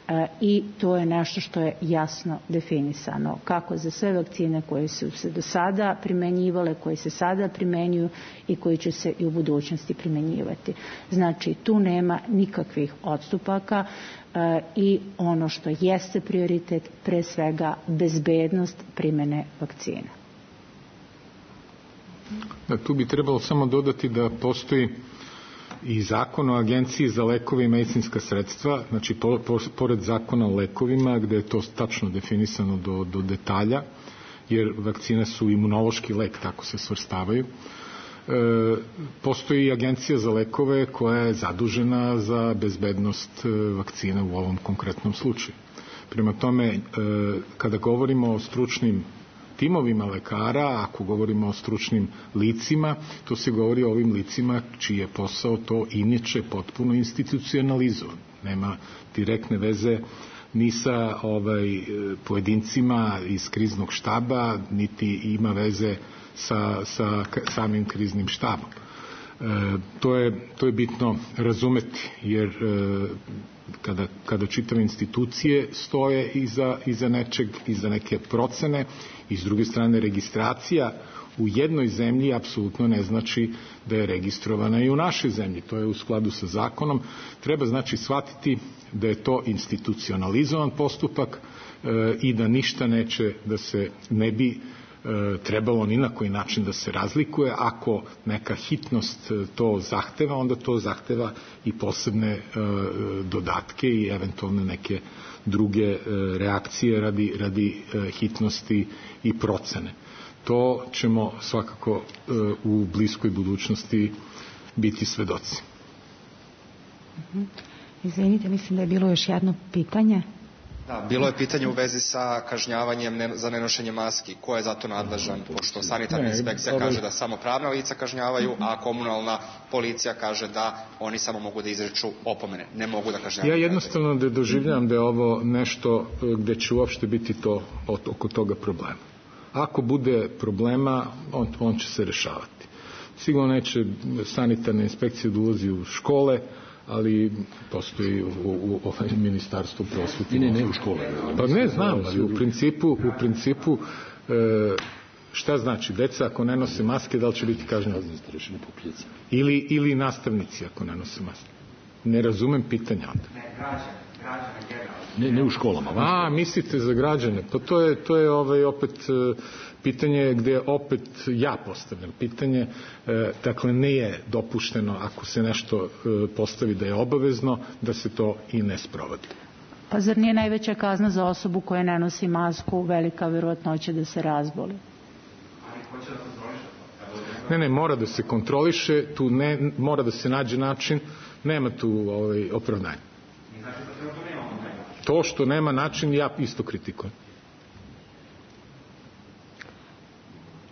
e, i to je nešto što je jasno definisano, kako za sve vakcine koje su se do sada primenjivale, koje se sada primenjuju i koji će se i u budućnosti primenjivati. Znači, tu nema nikakvih odstupaka i ono što jeste prioritet, pre svega bezbednost primene vakcina. Da, tu bi trebalo samo dodati da postoji i zakon o agenciji za lekove i medicinska sredstva, znači po, po, pored zakona o lekovima gde je to tačno definisano do, do detalja, jer vakcine su imunološki lek, tako se svrstavaju. E, postoji agencija za lekove koja je zadužena za bezbednost vakcina u ovom konkretnom slučaju. Prema tome, e, kada govorimo o stručnim timovima lekara, ako govorimo o stručnim licima, to se govori o ovim licima čiji je posao to inače potpuno institucionalizovan. Nema direktne veze ni sa ovaj, pojedincima iz kriznog štaba, niti ima veze sa, sa samim kriznim štabom. E, to, je, to je bitno razumeti, jer e, kada, kada čitave institucije stoje iza, iza nečeg, iza neke procene, i s druge strane registracija u jednoj zemlji apsolutno ne znači da je registrovana i u našoj zemlji. To je u skladu sa zakonom. Treba znači shvatiti da je to institucionalizovan postupak e, i da ništa neće da se ne bi trebalo ni na koji način da se razlikuje. Ako neka hitnost to zahteva, onda to zahteva i posebne dodatke i eventualne neke druge reakcije radi, radi hitnosti i procene. To ćemo svakako u bliskoj budućnosti biti svedoci. Izvinite, mislim da je bilo još jedno pitanje. Da, bilo je pitanje u vezi sa kažnjavanjem ne, za nenošenje maski. Ko je za to nadležan? Pošto sanitarna inspekcija kaže da samo pravna lica kažnjavaju, a komunalna policija kaže da oni samo mogu da izreču opomene. Ne mogu da kažnjavaju. Ja jednostavno da doživljam da je ovo nešto gde će uopšte biti to oko toga problema. Ako bude problema, on, on će se rešavati. Sigurno neće sanitarna inspekcija da ulazi u škole, ali postoji u, u, u ministarstvu prosvete. Ne, ne u škole. Pa ne znam, ali u principu, u principu e, šta znači? Deca ako ne nose maske, da li će biti kažnjeni? Ili, ili nastavnici ako ne nose maske? Ne razumem pitanja onda. Ne, građane, građane generalno. Ne, ne u školama. A, mislite za građane? Pa to je, to je ovaj, opet pitanje gde opet ja postavljam pitanje. E, dakle, ne je dopušteno ako se nešto e, postavi da je obavezno, da se to i ne sprovodi. Pa zar nije najveća kazna za osobu koja ne nosi masku velika verovatnoća da se razboli? Ne, ne, mora da se kontroliše, tu ne, mora da se nađe način, nema tu ovaj, opravdanja. To što nema način, ja isto kritikujem.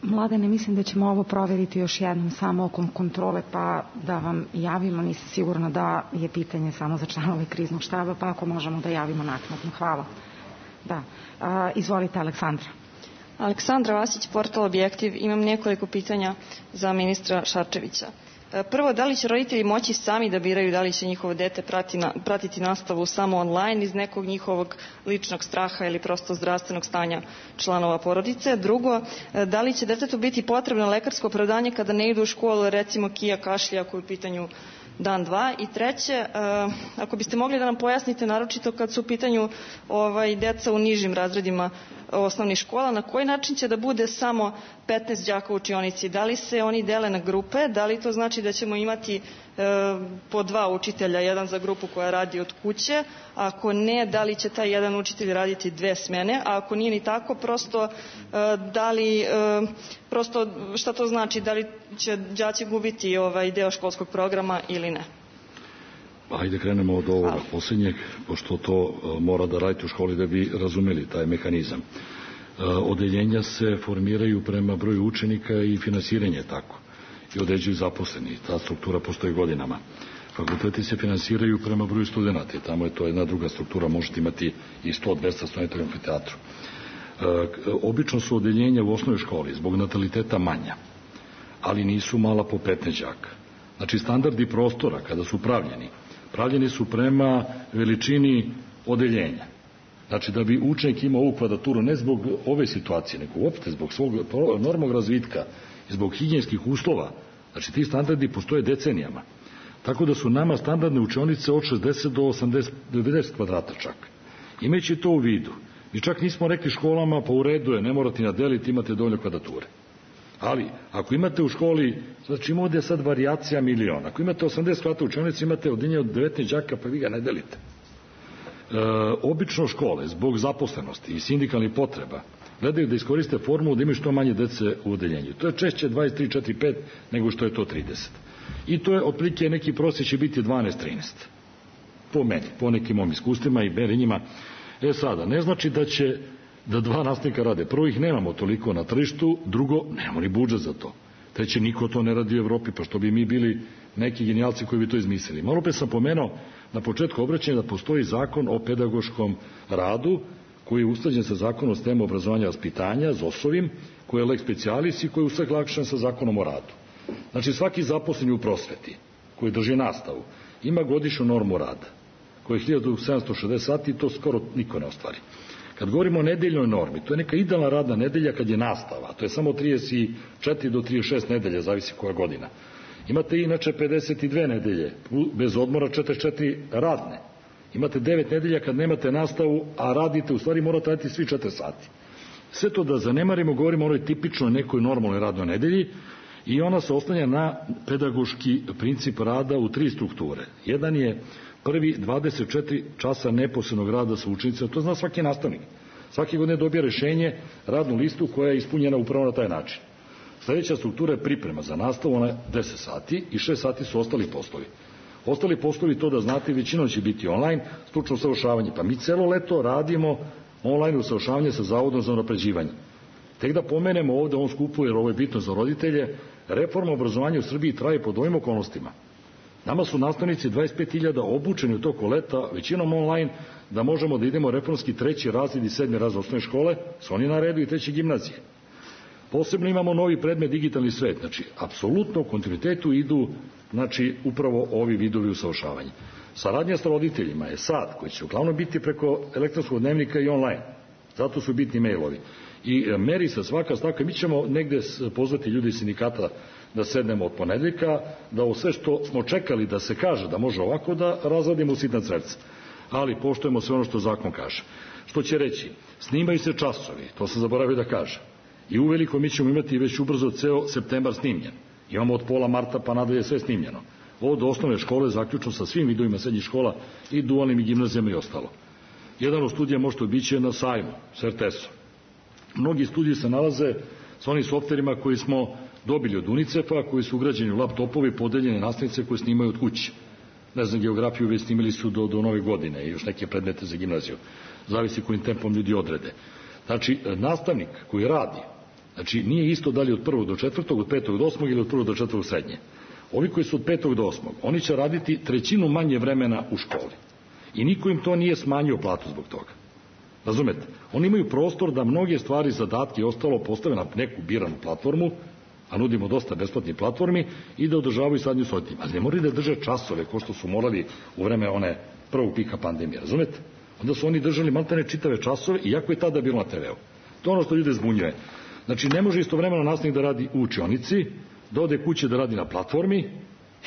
Mladene, mislim da ćemo ovo provjeriti još jednom samo oko kontrole, pa da vam javimo. Nisam sigurna da je pitanje samo za članove kriznog štaba, pa ako možemo da javimo naknadno. Hvala. Da. A, izvolite, Aleksandra. Aleksandra Vasić, portal Objektiv. Imam nekoliko pitanja za ministra Šarčevića. Prvo, da li će roditelji moći sami da biraju da li će njihovo dete prati na, pratiti nastavu samo online iz nekog njihovog ličnog straha ili prosto zdravstvenog stanja članova porodice? Drugo, da li će detetu biti potrebno lekarsko opravdanje kada ne idu u školu, recimo kija, kašlja, ako je u pitanju dan, dva? I treće, ako biste mogli da nam pojasnite, naročito kad su u pitanju ovaj, deca u nižim razredima osnovnih škola, na koji način će da bude samo petnaest đaka u učionici? Da li se oni dele na grupe? Da li to znači da ćemo imati e, po dva učitelja, jedan za grupu koja radi od kuće? Ako ne, da li će taj jedan učitelj raditi dve smene? A ako nije ni tako, prosto e, da li, e, prosto šta to znači? Da li će đaci gubiti ovaj deo školskog programa ili ne? Ajde krenemo od ovoga posljednjeg, pošto to mora da radite u školi da bi razumeli taj mehanizam. Odeljenja se formiraju prema broju učenika i finansiranje tako. I određuju zaposleni. Ta struktura postoji godinama. Fakulteti se finansiraju prema broju studenta i tamo je to jedna druga struktura. Možete imati i sto do dvesta studenta u amfiteatru. Obično su odeljenja u osnovnoj školi zbog nataliteta manja, ali nisu mala po petnaest đaka. Znači standardi prostora kada su pravljeni, pravljeni su prema veličini odeljenja. Znači da bi učenik imao ovu kvadraturu ne zbog ove situacije, nego uopšte zbog svog normog razvitka i zbog higijenskih uslova. Znači ti standardi postoje decenijama. Tako da su nama standardne učionice od šezdeset do osamdeset do devedeset kvadrata čak. Imajući to u vidu, mi čak nismo rekli školama pa u redu je, ne morate nadeliti, imate dovoljno kvadrature. Ali, ako imate u školi, znači ima ovdje sad varijacija miliona, ako imate osamdeset kvadrata učionice, imate odeljenje od devetnaest đaka, pa vi ga ne delite. E, obično škole, zbog zaposlenosti i sindikalnih potreba, gledaju da iskoriste formulu da imaju što manje dece u odeljenju. To je češće dvadeset tri, četiri, pet nego što je to trideset. I to je otprilike neki prosjek će biti dvanaest trinaest. Po meni, po nekim mojim iskustvima i merenjima. E sada, ne znači da će da dva nastavnika rade. Prvo ih nemamo toliko na tržištu, drugo, nemamo ni budžet za to. Treće, niko to ne radi u Evropi, pa što bi mi bili neki genijalci koji bi to izmislili. Malo pre sam pomenuo na početku obraćanja da postoji zakon o pedagoškom radu, koji je usklađen sa zakonom o sistemu obrazovanja i vaspitanja, Z O S-ovim, koji je lex specialis i koji je usaglašen sa zakonom o radu. Znači svaki zaposleni u prosveti, koji drži nastavu, ima godišnju normu rada, koja je hiljadu sedamsto šezdeset sati i to skoro niko ne ostvari. Kad govorimo o nedeljnoj normi, to je neka idealna radna nedelja kad je nastava, to je samo trideset četiri do trideset šest nedelja, zavisi koja godina. Imate inače pedeset dve nedelje, bez odmora četrdeset četiri radne. Imate devet nedelja kad nemate nastavu, a radite, u stvari morate raditi svi četiri sati. Sve to da zanemarimo, govorimo o onoj tipičnoj nekoj normalnoj radnoj nedelji i ona se oslanja na pedagoški princip rada u tri strukture. Jedan je prvi dvadeset četiri časa neposrednog rada sa učenicima, to zna svaki nastavnik. Svaki godine dobija rešenje, radnu listu koja je ispunjena upravo na taj način. Sljedeća struktura je priprema za nastavu, ona je deset sati i šest sati su ostali poslovi. Ostali poslovi, to da znate, većinom će biti online, stručno usavršavanje. Pa mi celo leto radimo online usavršavanje sa Zavodom za unapređivanje. Tek da pomenemo ovde on skupu, jer ovo je bitno za roditelje, reforma obrazovanja u Srbiji traje pod ovim okolnostima. Nama su nastavnici dvadeset pet hiljada obučeni u toku leta, većinom online, da možemo da idemo reformski treći razred i sedmi razred osnovne škole, su oni na redu i treće gimnazije. Posebno imamo novi predmet digitalni svet, znači, apsolutno u kontinuitetu idu, znači, upravo ovi vidovi usavršavanja. Saradnja sa roditeljima je sad, koji će uglavnom biti preko elektronskog dnevnika i online, zato su bitni mailovi. I meri se svaka stavka, mi ćemo negde pozvati ljudi iz sindikata da sednemo od ponedeljka, da ovo sve što smo čekali da se kaže da može ovako, da razradimo u sitna crevca. Ali poštujemo sve ono što zakon kaže. Što će reći, snimaju se časovi, to sam zaboravio da kažem. I uveliko mi ćemo imati već ubrzo ceo septembar snimljen. Imamo od pola marta pa nadalje sve snimljeno. Od osnovne škole zaključno sa svim vidovima srednjih škola i dualnim i gimnazijama i ostalo. Jedan od studija možete obići na sajmu s er te esom. Mnogi studiji se nalaze sa onim softverima koji smo dobili od UNICEF-a, koji su ugrađeni u laptopovi, podeljene nastavnice koje snimaju od kuće. Ne znam, geografiju već snimili su do, do nove godine i još neke predmete za gimnaziju. Zavisi kojim tempom ljudi odrede. Znači, nastavnik koji radi, znači nije isto da li od prvog do četvrtog, od petog do osmog ili od prvog do četvrtog srednje. Ovi koji su od petog do osmog, oni će raditi trećinu manje vremena u školi. I niko im to nije smanjio platu zbog toga. Razumete? Oni imaju prostor da mnoge stvari, zadatke i ostalo postave na neku biranu platformu, a nudimo dosta besplatnih platformi, i da održavaju sadnju s roditeljima. Ali ne moraju da drže časove ko što su morali u vreme one prvog pika pandemije. Razumete? Onda su oni držali maltene čitave časove, iako je tada bilo na te ve u. To je ono što ljude zbunjuje. Znači, ne može istovremeno nastavnik da radi u učionici, da ode kuće da radi na platformi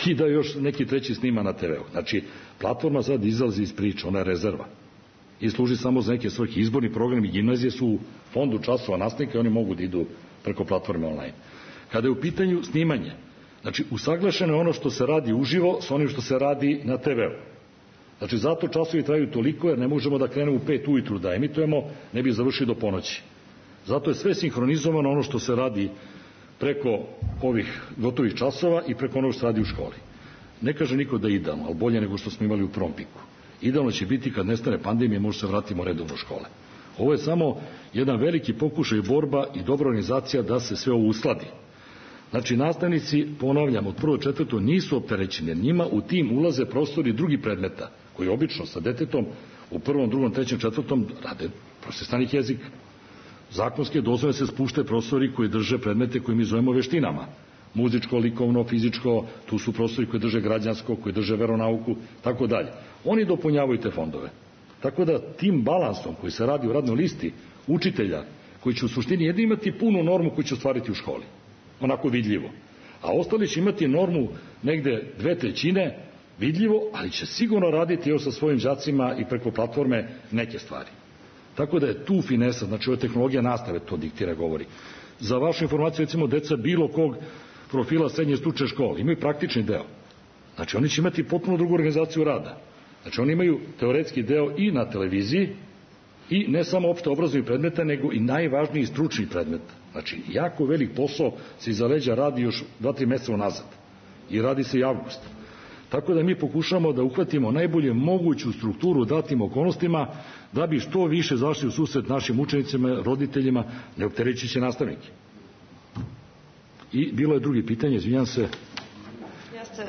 i da još neki treći snima na te ve u. Znači, platforma sad izlazi iz priče, ona je rezerva. I služi samo za neke svrhe. Izborni programi gimnazije su u fondu časova nastavnika i oni mogu da idu preko platforme online. Kada je u pitanju snimanje, znači, usaglašeno je ono što se radi uživo sa onim što se radi na te ve u. Znači, zato časovi traju toliko, jer ne možemo da krenemo u pet ujutru da emitujemo, ne bi završili do ponoći. Zato je sve sinhronizovano ono što se radi preko ovih gotovih časova i preko onog što se radi u školi. Ne kaže niko da je idealno, ali bolje nego što smo imali u prvom piku. Idealno će biti kad nestane pandemija, može se vratimo redovno u škole. Ovo je samo jedan veliki pokušaj borba i dobra organizacija da se sve ovo usladi. Znači, nastavnici, ponavljam, od prvo četvrto nisu opterećeni, jer njima u tim ulaze profesori drugih predmeta, koji obično sa detetom u prvom, drugom, trećem, četvrtom rade profesor stranih jezika. Zakonske dozvole se spuštaju profesori koji drže predmete koje mi zovemo veštinama. Muzičko, likovno, fizičko, tu su profesori koji drže građansko, koji drže veronauku, tako dalje. Oni dopunjavaju te fondove. Tako da tim balansom koji se radi u radnoj listi učitelja, koji će u suštini jedino imati punu normu koju će ostvariti u školi, onako vidljivo. A ostali će imati normu negde dve trećine vidljivo, ali će sigurno raditi još sa svojim đacima i preko platforme neke stvari. Tako da je tu finesa, znači ova tehnologija nastave to diktira, govori. Za vašu informaciju, recimo, deca bilo kog profila srednje stručne škole imaju praktični deo. Znači, oni će imati potpuno drugu organizaciju rada. Znači, oni imaju teoretski deo i na televiziji, i ne samo opšte obrazovnih predmeta, nego i najvažniji stručni predmet. Znači, jako velik posao se iza leđa radi još dva tri meseca unazad. I radi se i avgust. Tako da mi pokušamo da uhvatimo najbolje moguću strukturu datim okolnostima, da bi što više zašli u susret našim učenicima, roditeljima, ne opterećujući nastavnike. I bilo je drugi pitanje, izvinjam se. Jeste,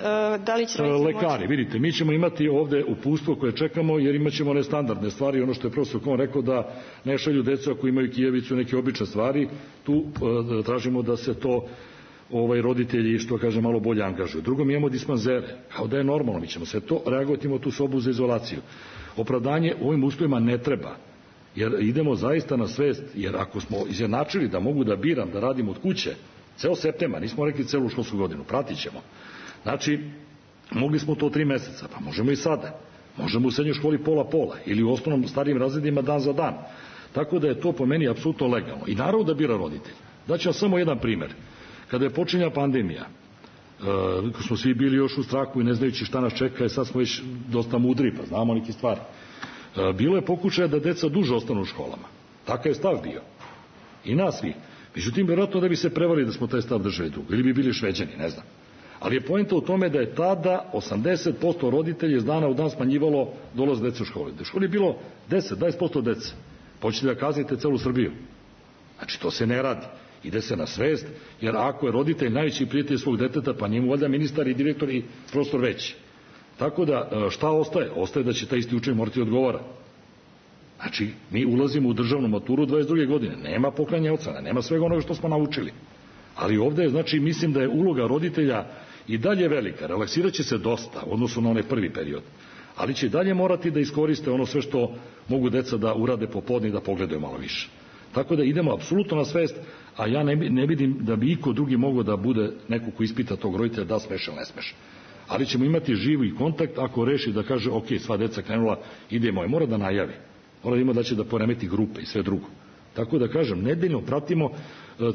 da li će lekari, moći... vidite, mi ćemo imati ovde uputstvo koje čekamo, jer imat ćemo nestandardne stvari, ono što je profesor Kon rekao, da ne šalju decu ako imaju kijevicu, neke obične stvari, tu tražimo da se to ovaj, roditelji, što kaže, malo bolje angažuju. Drugo, mi imamo dispanzere, kao da je normalno, mi ćemo se to reagovati, imamo tu sobu za izolaciju. Opravdanje u ovim uslovima ne treba, jer idemo zaista na svest, jer ako smo izjednačili da mogu da biram, da radim od kuće, ceo septembar, nismo rekli celu školsku godinu, pratit ćemo. Znači, mogli smo to tri meseca, pa možemo i sada. Možemo u srednjoj školi pola-pola ili u osnovnom starijim razredima dan za dan. Tako da je to po meni apsolutno legalno. I naravno da bira roditelj. Daću vam samo jedan primer. Kada je počinjala pandemija, uh, smo svi bili još u strahu i ne znajući šta nas čeka, i sad smo već dosta mudri, pa znamo neke stvari. Uh, bilo je pokušaja da deca duže ostanu u školama. Takav je stav bio. I nas svi. Međutim, vjerojatno da bi se prevarili da smo taj stav držali dugo. Ili bi bili Šveđani, ne znam. Ali je poenta u tome da je tada osamdeset posto roditelja iz dana u dan smanjivalo dolaz dece u školi. Da u školi je bilo deset do dvadeset posto dece. Počete da kaznite celu Srbiju. Znači, to se ne radi. Ide se na svest, jer ako je roditelj najveći prijatelj svog deteta, pa njemu valjda ministar i direktor i prostor veći. Tako da, šta ostaje? Ostaje da će taj isti učenik morati odgovara. Znači, mi ulazimo u državnu maturu dvadeset druge godine. Nema poklanjanja ocena, nema svega onoga što smo naučili. Ali ovde, znači, mislim da je uloga roditelja i dalje velika. Relaksirat će se dosta u odnosu na onaj prvi period. Ali će dalje morati da iskoriste ono sve što mogu deca da urade popodne i da pogledaju malo više. Tako da idemo apsolutno na svest, a ja ne, ne vidim da bi iko drugi mogao da bude neko ko ispita tog roditelja da smeš ili ne smeš. Ali ćemo imati živi kontakt ako reši da kaže ok, sva deca krenula, idemo, je mora da najavi. Mora da ima da će da poremeti grupe i sve drugo. Tako da kažem, nedeljno pratimo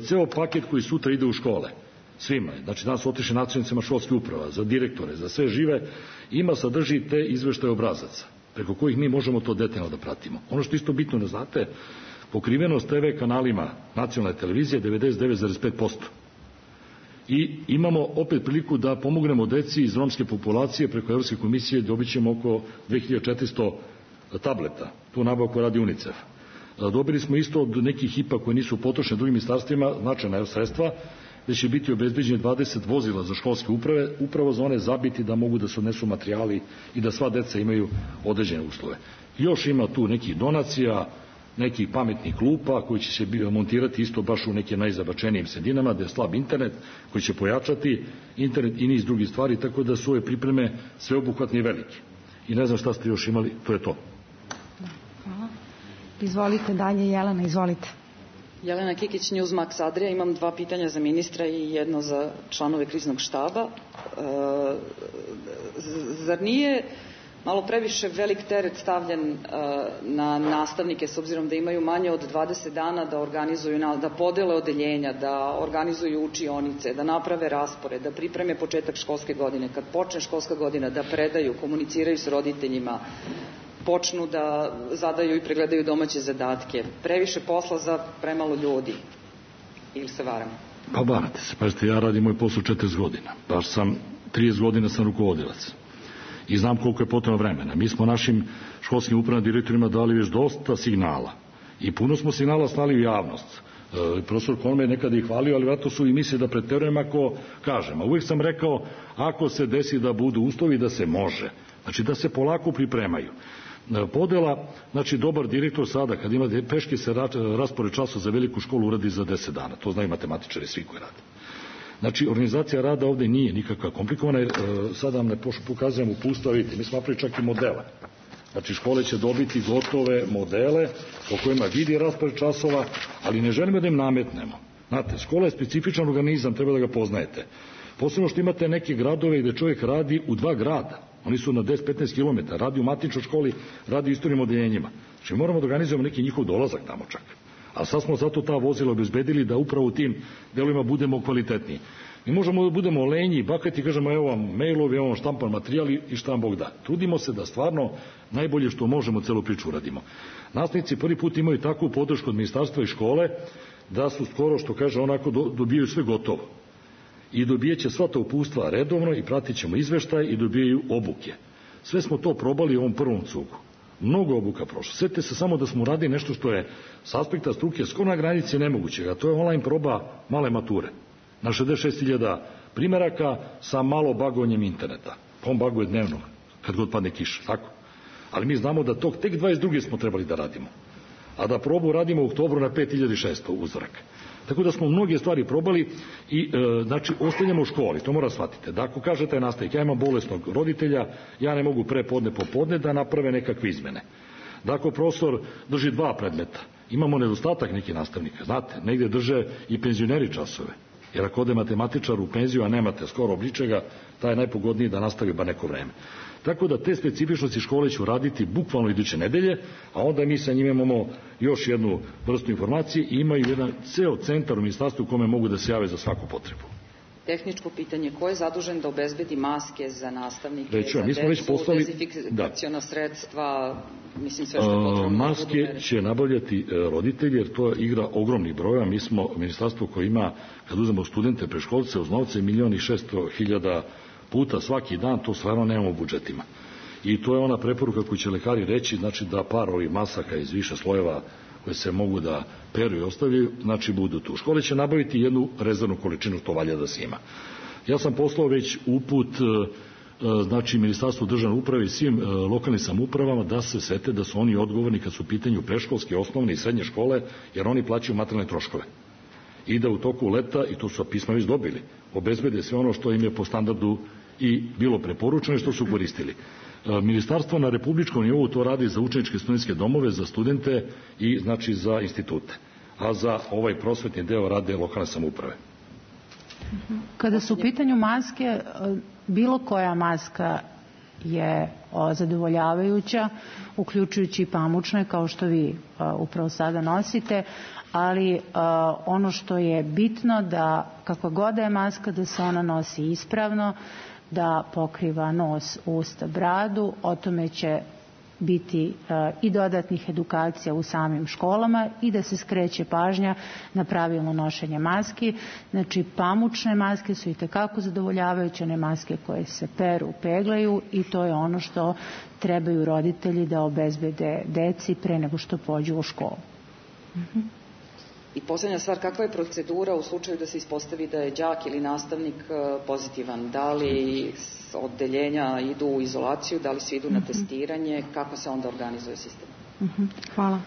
ceo paket koji sutra ide u škole. Svima. Znači, danas su otišli načelnicima školskih uprava, za direktore, za sve žive, ima sadrži te izveštaje obrazaca. preko kojih mi možemo to detaljno da pratimo. Ono što isto bitno da znate, pokrivenost te ve kanalima nacionalne televizije devedeset devet zarez pet posto. I imamo opet priliku da pomognemo deci iz romske populacije preko Evropske komisije, dobit ćemo oko dve hiljade četiristo tableta. Tu nabavku radi UNICEF. Dobili smo isto od nekih I P A koji nisu potrošeni drugim ministarstvima značajna sredstva, gde će biti obezbeđeni dvadeset vozila za školske uprave, upravo za one zabiti da mogu da se odnesu materijali i da sva deca imaju određene uslove. Još ima tu nekih donacija, nekih pametnih klupa koji će se montirati isto baš u nekim najzabačenijim sredinama gde je slab internet, koji će pojačati internet i niz drugih stvari, tako da su ove pripreme sveobuhvatne i velike. I ne znam šta ste još imali, to je to. Hvala. Izvolite dalje, Jelena, izvolite. Jelena Kikić, Newsmax Adria. Imam dva pitanja za ministra i jedno za članove kriznog štaba. E, zar nije malo previše velik teret stavljen na nastavnike, s obzirom da imaju manje od dvadeset dana da organizuju, da podele odeljenja, da organizuju učionice, da naprave raspored, da pripreme početak školske godine, kad počne školska godina, da predaju, komuniciraju s roditeljima, počnu da zadaju i pregledaju domaće zadatke. Previše posla za premalo ljudi. Ili se varamo? Pa varate se. Pazite, ja radim moj posao četrdeset godina. Baš sam, trideset godina sam rukovodilac. I znam koliko je potrebno vremena. Mi smo našim školskim upravnim direktorima dali već dosta signala. I puno smo signala slali u javnost. E, profesor Kolme je nekada ih hvalio, ali vratno su i misle da preterujem ako kažem. A uvijek sam rekao, ako se desi da budu uslovi, da se može. Znači da se polako pripremaju. Podela, znači dobar direktor sada, kad ima peške se raspored časa za veliku školu uradi za deset dana. To znaju matematičari, svi koji rade. Znači, organizacija rada ovde nije nikakva komplikovana, jer e, sada vam ne pokazujem upustva, vidite, mi smo napravili čak i modele. Znači, škole će dobiti gotove modele po kojima vidi raspored časova, ali ne želimo da im nametnemo. Znate, škola je specifičan organizam, treba da ga poznajete. Posebno što imate neke gradove gde čovjek radi u dva grada. Oni su na deset do petnaest kilometara, radi u matičnoj školi, radi u istorijnim odeljenjima. Znači, moramo da organizujemo neki njihov dolazak tamo čak. A sad smo zato ta vozila obezbedili da upravo u tim delovima budemo kvalitetniji. Mi možemo da budemo lenji, bakati, kažemo evo vam mailovi, evo vam štampan materijal i šta vam Bog da. Trudimo se da stvarno najbolje što možemo celu priču uradimo. Nastavnici prvi put imaju takvu podršku od ministarstva i škole da su skoro, što kaže, onako dobijaju sve gotovo. I dobijeće sva ta upustva redovno i pratit ćemo izveštaj i dobijaju obuke. Sve smo to probali u ovom prvom cugu. Mnogo obuka prošlo. Sjetite se samo da smo uradili nešto što je s aspekta struke skoro na granici nemogućega. To je online proba male mature. Na šezdeset šest hiljada primjeraka sa malo bagovanjem interneta. Pa on baguje dnevno, kad god padne kiša. Tako. Ali mi znamo da tog tek dvadeset druge smo trebali da radimo. A da probu radimo u oktobru na pet hiljada šesto uzorak. Tako da smo mnoge stvari probali i e, znači ostavljamo u školi, to mora shvatite. Da ako kažete nastavnik, ja imam bolesnog roditelja, ja ne mogu pre podne popodne da naprave nekakve izmene. Da ako profesor drži dva predmeta, imamo nedostatak nekih nastavnika, znate, negdje drže i penzioneri časove. Jer ako ode matematičar u penziju, a nemate skoro obličega, taj je najpogodniji da nastavi ba neko vreme. Tako da te specifičnosti škole ću raditi bukvalno iduće nedelje, a onda mi sa njima imamo još jednu vrstu informacije i imaju jedan ceo centar u ministarstvu u kome mogu da se jave za svaku potrebu. Tehničko pitanje, ko je zadužen da obezbedi maske za nastavnike, Reću, za mi smo već decu, poslali, dezinfekciona da. sredstva, mislim sve što je potrebno. Maske će nabavljati roditelji, jer to igra ogromnih broja. Mi smo ministarstvo koje ima, kad uzmemo studente, preškolce, uz novce, milion i šesto hiljada puta svaki dan, to stvarno nemamo u budžetima. I to je ona preporuka koju će lekari reći, znači da par ovih masaka iz više slojeva koje se mogu da peru i ostavljaju, znači budu tu. Škole će nabaviti jednu rezervnu količinu, to valja da se ima. Ja sam poslao već uput, znači Ministarstvu državne uprave i svim lokalnim samoupravama da se sete da su oni odgovorni kad su u pitanju preškolske, osnovne i srednje škole, jer oni plaćaju materijalne troškove. I da u toku leta, i to su pisma već dobili, obezbede sve ono što im je po standardu i bilo preporučeno i što su koristili. Ministarstvo na republičkom nivou to radi za učeničke studentske domove, za studente i znači za institute. A za ovaj prosvetni deo rade lokalne samouprave. Kada su u pitanju maske, bilo koja maska je zadovoljavajuća, uključujući i pamučne, kao što vi upravo sada nosite, ali ono što je bitno da kakva god da je maska, da se ona nosi ispravno, da pokriva nos, usta, bradu, o tome će biti i dodatnih edukacija u samim školama i da se skreće pažnja na pravilno nošenje maski. Znači, pamučne maske su i tekako zadovoljavajuće, one maske koje se peru, peglaju, i to je ono što trebaju roditelji da obezbede deci pre nego što pođu u školu. Mhm. I poslednja stvar, kakva je procedura u slučaju da se ispostavi da je đak ili nastavnik pozitivan? Da li oddeljenja idu u izolaciju, da li svi idu na testiranje, kako se onda organizuje sistem? Hvala.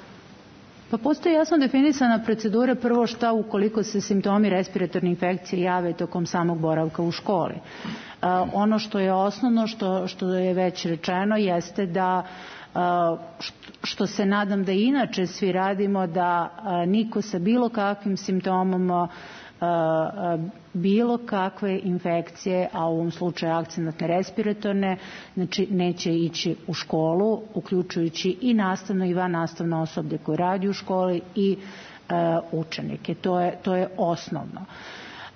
Pa postoji jasno definisana procedura, prvo šta ukoliko se simptomi respiratorne infekcije jave tokom samog boravka u školi. Ono što je osnovno, što, što je već rečeno, jeste da što se nadam da inače svi radimo, da niko sa bilo kakvim simptomom bilo kakve infekcije, a u ovom slučaju akcenatne respiratorne, znači neće ići u školu, uključujući i nastavno i vannastavno osoblje koje radi u školi i učenike. To je, to je osnovno.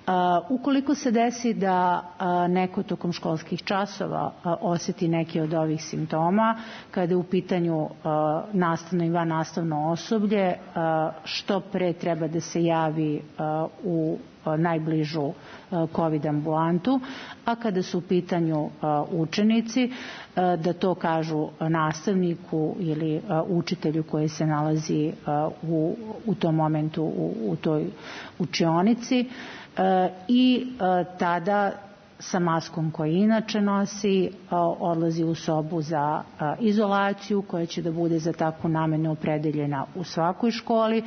Uh, ukoliko se desi da uh, neko tokom školskih časova uh, osjeti neki od ovih simptoma, kada je u pitanju uh, nastavno i vannastavno osoblje, uh, što pre treba da se javi uh, u uh, najbližu uh, COVID ambulantu, a kada su u pitanju uh, učenici, uh, da to kažu nastavniku ili uh, učitelju koji se nalazi uh, u, u tom momentu u, u toj učionici, i tada sa maskom koju inače nosi odlazi u sobu za izolaciju koja će da bude za takvu namenu opredeljena u svakoj školi.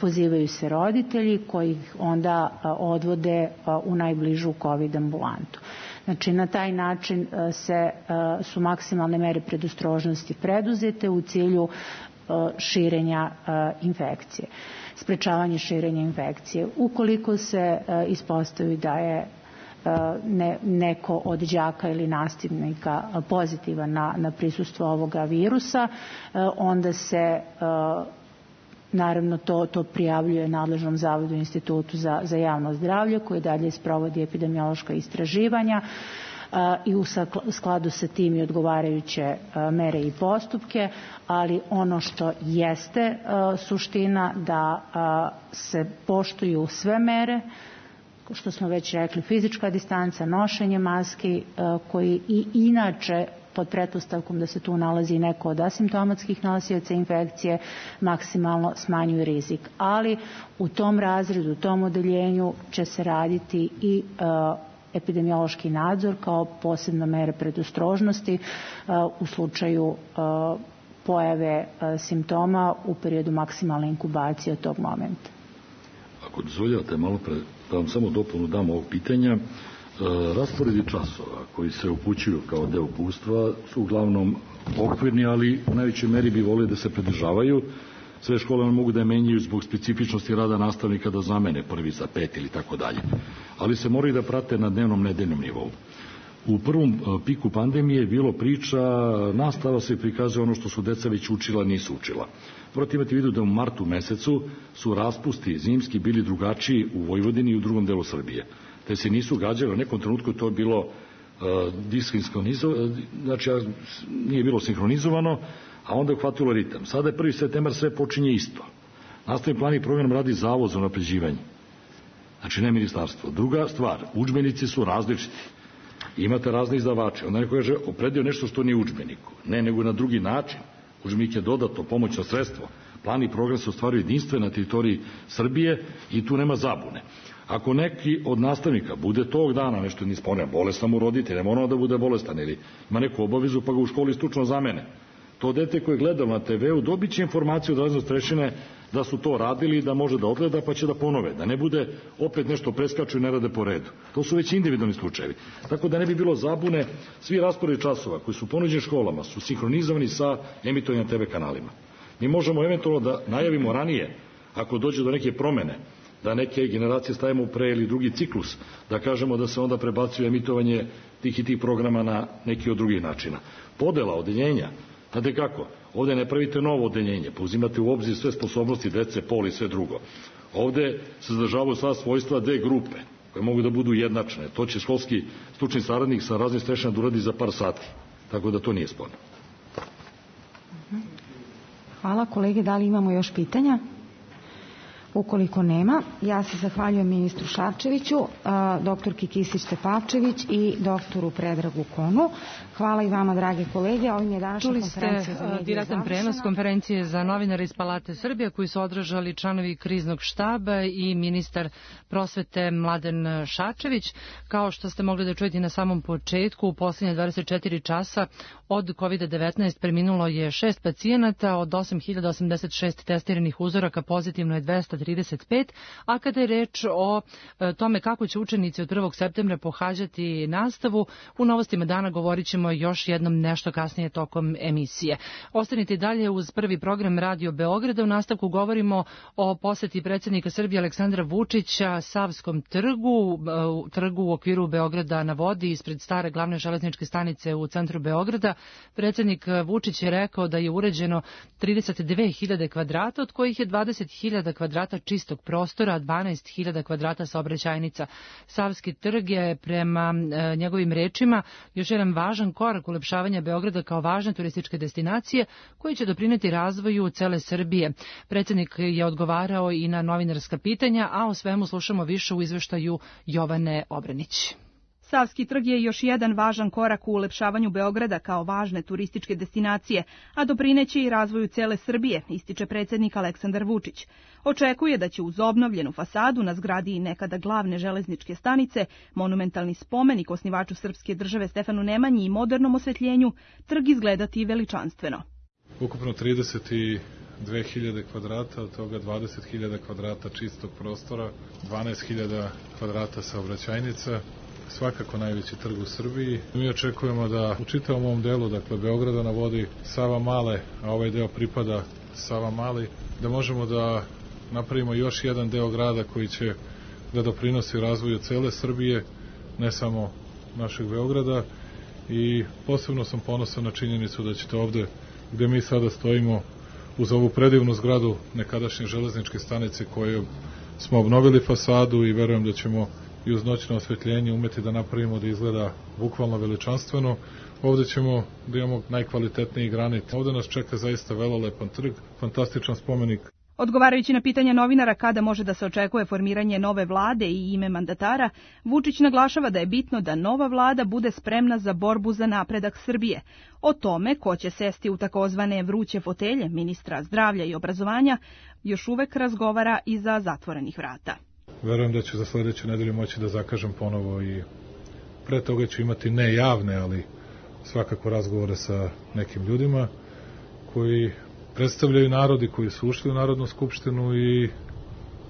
Pozivaju se roditelji koji ih onda odvode u najbližu COVID ambulantu. Znači, na taj način se, su maksimalne mere predostrožnosti preduzete u cilju širenja infekcije, sprečavanje širenja infekcije. Ukoliko se ispostavi da je ne, neko od đaka ili nastavnika pozitivan na, na prisustvo ovoga virusa, onda se naravno to, to prijavljuje nadležnom zavodu Institutu za, za javno zdravlje, koji dalje sprovodi epidemiološka istraživanja i u skladu sa tim i odgovarajuće mere i postupke, ali ono što jeste suština da se poštuju sve mere, što smo već rekli, fizička distanca, nošenje maski, koji i inače pod pretpostavkom da se tu nalazi neko od asimptomatskih nosioca infekcije, maksimalno smanjuju rizik. Ali u tom razredu, u tom odeljenju će se raditi i epidemiološki nadzor kao posebna mera predostrožnosti u slučaju pojave simptoma u periodu maksimalne inkubacije od tog momenta. Ako dozvoljavate malo pre, da vam samo dopunu dam ovog pitanja, rasporedi časova koji se upućuju kao deo upustva su uglavnom okvirni, ali u najvećoj meri bi volili da se pridržavaju. Sve škole mogu da je menjaju zbog specifičnosti rada nastavnika, da zamene prvi za pet ili tako dalje. Ali se moraju da prate na dnevnom, nedeljnom nivou. U prvom piku pandemije je bilo priča, nastava se prikazuje ono što su deca već učila, nisu učila. Morate imati vidu da u martu mesecu su raspusti zimski bili drugačiji u Vojvodini i u drugom delu Srbije. Te se nisu gađali, u nekom trenutku to je bilo uh, dishinskronizovano, znači nije bilo sinhronizovano, a onda je uhvatilo ritam. Sada je prvi septembar, sve počinje isto. Nastavni plan i program radi Zavod za unapređivanje. Znači, ne ministarstvo. Druga stvar, udžbenici su različiti. Imate razne izdavače. Onda neko kaže, opredio nešto što nije u udžbeniku. Ne, nego na drugi način. Udžbenik je dodatno pomoćno sredstvo. Plan i program se ostvaruju jedinstven na teritoriji Srbije i tu nema zabune. Ako neki od nastavnika bude tog dana nešto nije spomnio, bolestan mu roditelj, ne mora da bude bolestan ili ima neku obavezu pa ga u školi stručno zamene. To dete koje je gledalo na te ve u dobit će informaciju od razne starešine da su to radili i da može da odgleda pa će da ponove, da ne bude opet nešto preskaču i ne rade po redu. To su već individualni slučajevi. Tako da ne bi bilo zabune, svi rasporedi časova koji su ponuđeni školama su sinhronizovani sa emitovanjem te ve kanalima. Mi možemo eventualno da najavimo ranije, ako dođe do neke promene, da neke generacije stavimo u pre ili drugi ciklus, da kažemo da se onda prebacuje emitovanje tih i tih programa na neki od drugih načina. Podela, odeljenja, znate kako, ovde ne pravite novo odeljenje, pa uzimate u obzir sve sposobnosti dece, pol i sve drugo. Ovde se zadržavaju sva svojstva dve grupe, koje mogu da budu jednačne. To će školski stručni saradnik sa raznim strešama da uradi za par sati, tako da to nije sporno. Hvala kolege, da li imamo još pitanja? Ukoliko nema, ja se zahvaljujem ministru Šarčeviću, doktorki Kisić-Tepavčević i doktoru Predragu Konu. Hvala i vama, drage kolege. Ovim je današnja konferencija za medije direktan prenos konferencije za novinare iz Palate Srbije koji su održali članovi kriznog štaba i ministar prosvete Mladen Šarčević. Kao što ste mogli da čujete na samom početku, u poslednje dvadeset četiri časa od kovid devetnaest preminulo je šest pacijenata, od osam hiljada osamdeset šest testiranih uzoraka pozitivno je dvesta trideset pet, a kada je reč o tome kako će učenici od prvog septembra pohađati nastavu, u novostima dana govorit ćemo još jednom nešto kasnije tokom emisije. Ostanite dalje uz prvi program Radio Beograda. U nastavku govorimo o poseti predsjednika Srbije Aleksandra Vučića Savskom trgu, trgu u okviru Beograda na vodi ispred stare glavne železničke stanice u centru Beograda. Predsjednik Vučić je rekao da je uređeno trideset dve hiljade kvadrata, od kojih je dvadeset hiljada kvadrata čistog prostora, a dvanaest hiljada kvadrata saobraćajnica. Savski trg je prema e, njegovim rečima još jedan važan korak ulepšavanja Beograda kao važne turističke destinacije koji će doprineti razvoju cele Srbije. Predsjednik je odgovarao i na novinarska pitanja, a o svemu slušamo više u izveštaju Jovane Obranić. Savski trg je još jedan važan korak u ulepšavanju Beograda kao važne turističke destinacije, a doprineće i razvoju cele Srbije, ističe predsjednik Aleksandar Vučić. Očekuje da će uz obnovljenu fasadu na zgradi i nekada glavne železničke stanice, monumentalni spomenik osnivaču srpske države Stefanu Nemanji i modernom osvetljenju, trg izgledati veličanstveno. Ukupno trideset dve hiljade kvadrata, od toga dvadeset hiljada kvadrata čistog prostora, dvanaest hiljada kvadrata saobraćajnica, svakako najveći trg u Srbiji. Mi očekujemo da u čitavom ovom delu, dakle Beograda na vodi, Sava Male, a ovaj deo pripada Sava Mali, da možemo da napravimo još jedan deo grada koji će da doprinosi razvoju cele Srbije, ne samo našeg Beograda, i posebno sam ponosan na činjenicu da ćete ovde, gde mi sada stojimo, uz ovu predivnu zgradu nekadašnje železničke stanice koju smo obnovili fasadu i verujem da ćemo i uz noćno osvetljenje umeti da napravimo da izgleda bukvalno veličanstveno. Ovde ćemo da imamo najkvalitetniji granit. Ovde nas čeka zaista velelepan trg, fantastičan spomenik. Odgovarajući na pitanja novinara kada može da se očekuje formiranje nove vlade i ime mandatara, Vučić naglašava da je bitno da nova vlada bude spremna za borbu za napredak Srbije. O tome ko će sesti u takozvane vruće fotelje ministra zdravlja i obrazovanja još uvek razgovara iza zatvorenih vrata. Verujem da ću za sledeću nedelju moći da zakažem ponovo i pre toga ću imati ne javne, ali svakako razgovore sa nekim ljudima koji predstavljaju narodi koji su ušli u Narodnu skupštinu i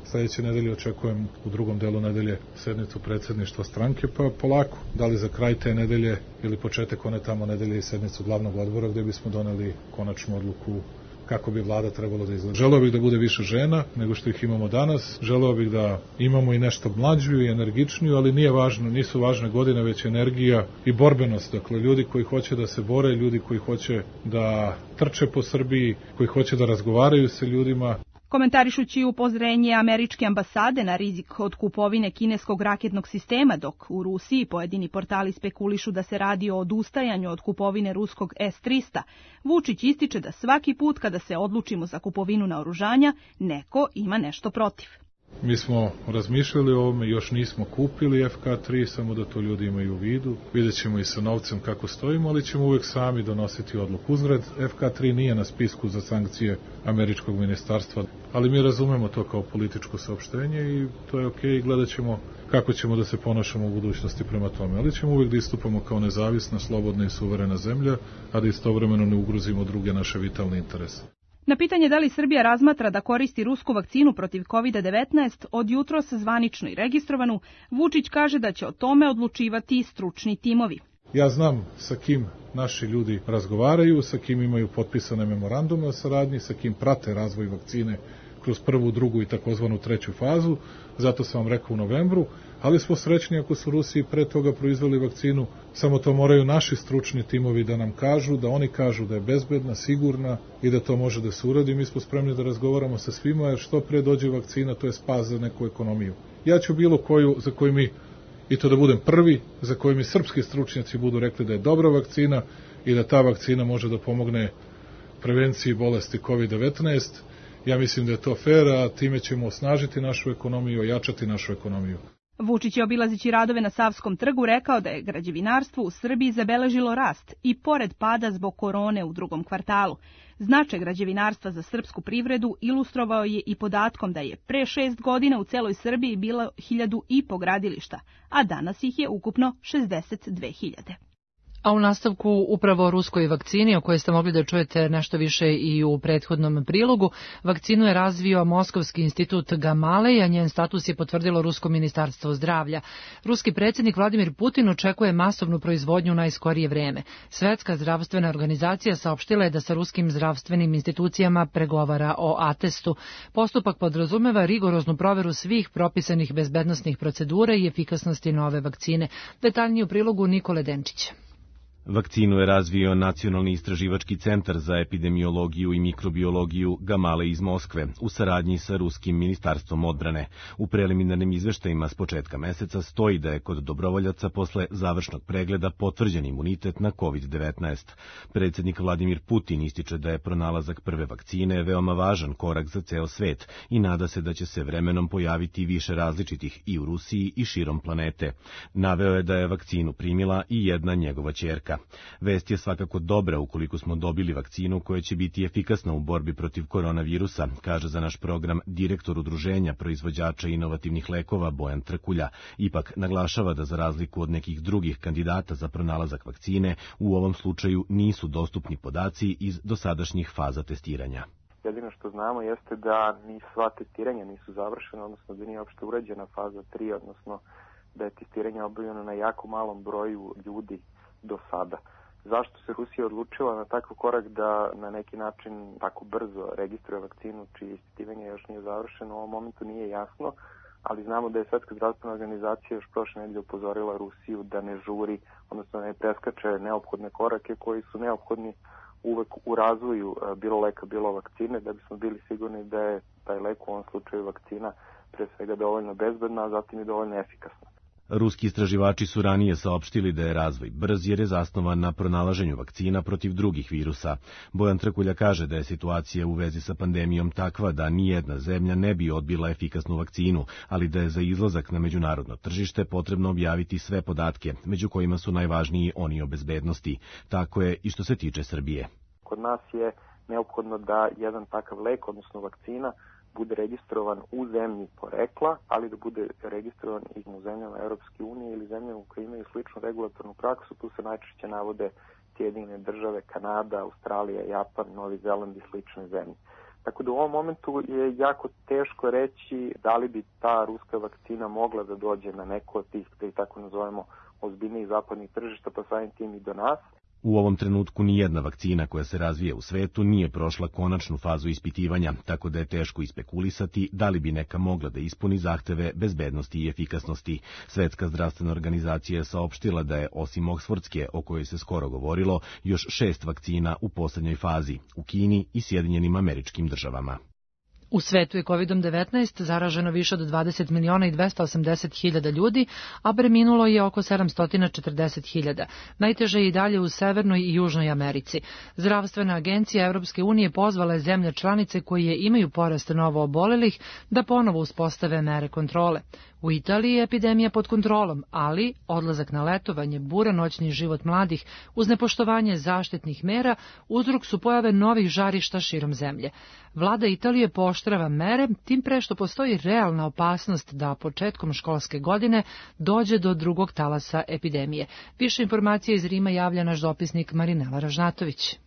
sledeće nedelje očekujem u drugom delu nedelje sednicu predsjedništva stranke, pa polako, da li za kraj te nedelje ili početak one tamo nedelje i sednicu glavnog odbora gde bismo doneli konačnu odluku kako bi vlada trebalo da izgleda. Želeo bih da bude više žena nego što ih imamo danas, želeo bih da imamo i nešto mlađu i energičniju, ali nije važno, nisu važne godine, već energija i borbenost. Dakle, ljudi koji hoće da se bore, ljudi koji hoće da trče po Srbiji, koji hoće da razgovaraju sa ljudima. Komentarišući upozorenje američke ambasade na rizik od kupovine kineskog raketnog sistema, dok u Rusiji pojedini portali spekulišu da se radi o odustajanju od kupovine ruskog S tristo, Vučić ističe da svaki put kada se odlučimo za kupovinu naoružanja, neko ima nešto protiv. Mi smo razmišljali o ovome, još nismo kupili F K tri, samo da to ljudi imaju u vidu. Vidjet ćemo i sa novcem kako stojimo, ali ćemo uvek sami donositi odluku. Uzgred, F K tri nije na spisku za sankcije američkog ministarstva, ali mi razumemo to kao političko saopštenje i to je okej, okay. Gledat ćemo kako ćemo da se ponašamo u budućnosti prema tome, ali ćemo uvek da istupamo kao nezavisna, slobodna i suverena zemlja, a da istovremeno ne ugrozimo druge naše vitalne interese. Na pitanje da li Srbija razmatra da koristi rusku vakcinu protiv kovid devetnaest, od jutros zvanično i registrovanu, Vučić kaže da će o tome odlučivati stručni timovi. Ja znam sa kim naši ljudi razgovaraju, sa kim imaju potpisane memorandume o saradnji, sa kim prate razvoj vakcine kroz prvu, drugu i takozvanu treću fazu, zato sam vam rekao u novembru, ali smo srećni ako su Rusiji pre toga proizveli vakcinu, samo to moraju naši stručni timovi da nam kažu, da oni kažu da je bezbedna, sigurna i da to može da se uradi. Mi smo spremni da razgovaramo sa svima, jer što pre dođe vakcina, to je spas za neku ekonomiju. Ja ću bilo koju, za koju mi, i to da budem prvi, za koju mi srpski stručnjaci budu rekli da je dobra vakcina i da ta vakcina može da pomogne prevenciji bolesti kovid devetnaest. Ja mislim da je to fair, a time ćemo osnažiti našu ekonomiju, ojačati našu ekonomiju. Vučić je obilazeći radove na Savskom trgu rekao da je građevinarstvo u Srbiji zabeležilo rast i pored pada zbog korone u drugom kvartalu. Značaj građevinarstva za srpsku privredu ilustrovao je i podatkom da je pre šest godina u celoj Srbiji bilo hiljadu i po gradilišta, a danas ih je ukupno šezdeset dve hiljade. A u nastavku upravo o ruskoj vakcini, o kojoj ste mogli da čujete nešto više i u prethodnom prilogu, vakcinu je razvio Moskovski institut Gamalej, a njen status je potvrdilo Rusko ministarstvo zdravlja. Ruski predsjednik Vladimir Putin očekuje masovnu proizvodnju u najskorije vreme. Svetska zdravstvena organizacija saopštila je da sa ruskim zdravstvenim institucijama pregovara o atestu. Postupak podrazumeva rigoroznu proveru svih propisanih bezbednosnih procedura i efikasnosti nove vakcine. Detaljnije u prilogu Nikole Denčića. Vakcinu je razvio Nacionalni istraživački centar za epidemiologiju i mikrobiologiju Gamalej iz Moskve u saradnji sa Ruskim ministarstvom odbrane. U preliminarnim izveštajima s početka meseca stoji da je kod dobrovoljaca posle završnog pregleda potvrđen imunitet na kovid devetnaest. Predsjednik Vladimir Putin ističe da je pronalazak prve vakcine veoma važan korak za ceo svet i nada se da će se vremenom pojaviti više različitih i u Rusiji i širom planete. Naveo je da je vakcinu primila i jedna njegova ćerka. Vest je svakako dobra ukoliko smo dobili vakcinu koja će biti efikasna u borbi protiv koronavirusa, kaže za naš program direktor Udruženja proizvođača inovativnih lekova Bojan Trkulja. Ipak naglašava da za razliku od nekih drugih kandidata za pronalazak vakcine, u ovom slučaju nisu dostupni podaci iz dosadašnjih faza testiranja. Jedino što znamo jeste da ni sva testiranja nisu završena, odnosno da nije uopšte urađena faza tri, odnosno da je testiranje obavljeno na jako malom broju ljudi do sada. Zašto se Rusija odlučila na takav korak da na neki način tako brzo registruje vakcinu čije ispitivanje još nije završeno, u ovom momentu nije jasno, ali znamo da je Svetska zdravstvena organizacija još prošle nedelje upozorila Rusiju da ne žuri, odnosno ne preskače neophodne korake koji su neophodni uvek u razvoju bilo leka, bilo vakcine, da bismo bili sigurni da je taj lek, u ovom slučaju vakcina, pre svega dovoljno bezbedna, a zatim i dovoljno efikasna. Ruski istraživači su ranije saopštili da je razvoj brz jer je zasnovan na pronalaženju vakcina protiv drugih virusa. Bojan Trkulja kaže da je situacija u vezi sa pandemijom takva da nijedna zemlja ne bi odbila efikasnu vakcinu, ali da je za izlazak na međunarodno tržište potrebno objaviti sve podatke, među kojima su najvažniji oni o bezbednosti. Tako je i što se tiče Srbije. Kod nas je neophodno da jedan takav lek, odnosno vakcina, bude registrovan u zemlji porekla, ali da bude registrovan i u zemljama Europske unije ili zemljama koje imaju sličnu regulatornu praksu. Tu se najčešće navode Sjedinjene države, Kanada, Australija, Japan, Novi Zeland i slične zemlje. Tako da u ovom momentu je jako teško reći da li bi ta ruska vakcina mogla da dođe na neko od tih, da ih tako nazovemo, ozbiljnijih zapadnih tržišta, pa samim tim i do nas. U ovom trenutku nijedna vakcina koja se razvija u svetu nije prošla konačnu fazu ispitivanja, tako da je teško ispekulisati da li bi neka mogla da ispuni zahteve bezbednosti i efikasnosti. Svetska zdravstvena organizacija je saopštila da je, osim Oksfordske, o kojoj se skoro govorilo, još šest vakcina u poslednjoj fazi, u Kini i Sjedinjenim Američkim Državama. U svetu je kovid devetnaest zaraženo više od dvadeset miliona i dvesta osamdeset hiljada ljudi, a preminulo je oko sedamsto četrdeset hiljada. Najteže je i dalje u Severnoj i Južnoj Americi. Zdravstvena agencija Evropske unije pozvala je zemlje članice koje imaju porast novo obolelih da ponovo uspostave mere kontrole. U Italiji je epidemija pod kontrolom, ali odlazak na letovanje, buran noćni život mladih uz nepoštovanje zaštitnih mera uzrok su pojave novih žarišta širom zemlje. Vlada Italije pooštrava mere, tim pre što postoji realna opasnost da početkom školske godine dođe do drugog talasa epidemije. Više informacija iz Rima javlja naš dopisnik Marinela Ražnatović.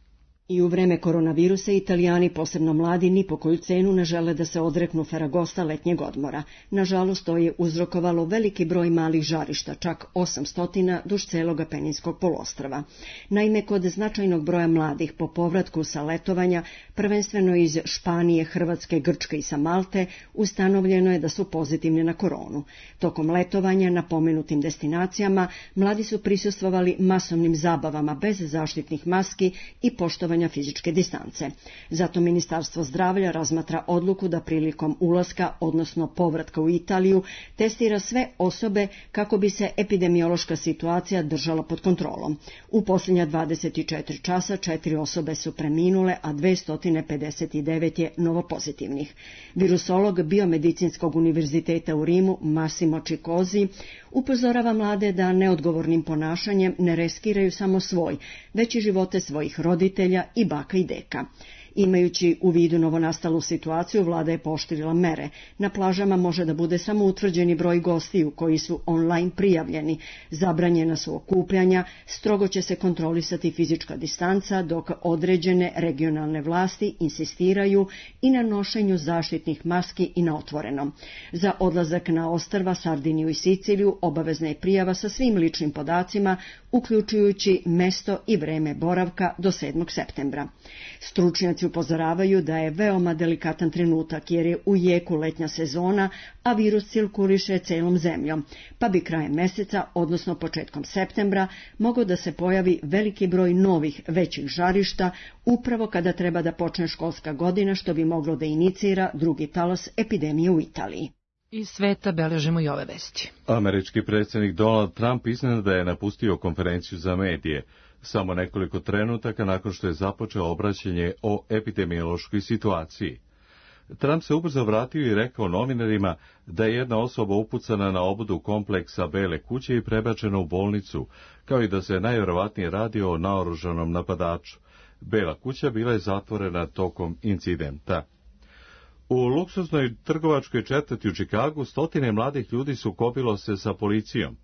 I u vreme koronavirusa Italijani, posebno mladi, ni po koju cenu ne žele da se odreknu Feragosta letnjeg odmora. Nažalost, to je uzrokovalo veliki broj malih žarišta, čak osamsto duž celog Apeninskog poluostrva. Naime, kod značajnog broja mladih po povratku sa letovanja, prvenstveno iz Španije, Hrvatske, Grčke i sa Malte, ustanovljeno je da su pozitivni na koronu. Tokom letovanja na pomenutim destinacijama mladi su prisustvovali masovnim zabavama bez zaštitnih maski i poštovanja poštovanja fizičke distance. Zato Ministarstvo zdravlja razmatra odluku da prilikom ulaska, odnosno povratka u Italiju, testira sve osobe kako bi se epidemiološka situacija držala pod kontrolom. U posljednja dvadeset četiri časa četiri osobe su preminule, a dvesta pedeset devet je novopozitivnih. Virusolog Biomedicinskog univerziteta u Rimu Massimo Cicozzi upozorava mlade da neodgovornim ponašanjem ne riskiraju samo svoj, već i živote svojih roditelja i baka i deka. Imajući u vidu novonastalu situaciju, vlada je pooštrila mere. Na plažama može da bude samo utvrđeni broj gostiju koji su online prijavljeni. Zabranjena su okupljanja, strogo će se kontrolisati fizička distanca, dok određene regionalne vlasti insistiraju i na nošenju zaštitnih maski i na otvorenom. Za odlazak na ostrva Sardiniju i Siciliju obavezna je prijava sa svim ličnim podacima, uključujući mesto i vreme boravka do sedmog septembra. Stručnjaci upozoravaju da je veoma delikatan trenutak jer je u jeku letnja sezona, a virus cirkuliše celom zemljom, pa bi krajem meseca, odnosno početkom septembra, mogao da se pojavi veliki broj novih većih žarišta upravo kada treba da počne školska godina, što bi moglo da inicira drugi talas epidemije u Italiji. Iz sveta beležimo i ove vesti. Američki predsjednik Donald Trump iznenada je napustio konferenciju za medije samo nekoliko trenutaka nakon što je započeo obraćanje o epidemiološkoj situaciji. Trump se ubrzo vratio i rekao novinarima da je jedna osoba upucana na obudu kompleksa Bele kuće i prebačena u bolnicu, kao i da se najvjerovatnije radi o naoružanom napadaču. Bela kuća bila je zatvorena tokom incidenta. U luksuznoj trgovačkoj četvrti u Čikagu stotine mladih ljudi sukobilo se sa policijom.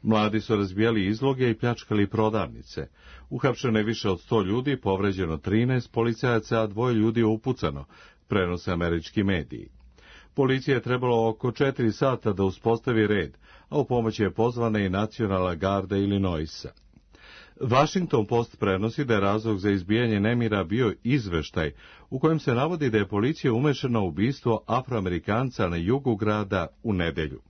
Mladi su razbijali izloge i pljačkali prodavnice. Uhapšeno je više od sto ljudi, povređeno trinaest policajaca, a dvoje ljudi je upucano, prenose američki mediji. Policija je trebalo oko četiri sata da uspostavi red, a u pomoć je pozvana i nacionalna garda Illinoisa. Washington Post prenosi da je razlog za izbijanje nemira bio izveštaj u kojem se navodi da je policija umešana u ubistvo Afroamerikanca na jugu grada u nedelju.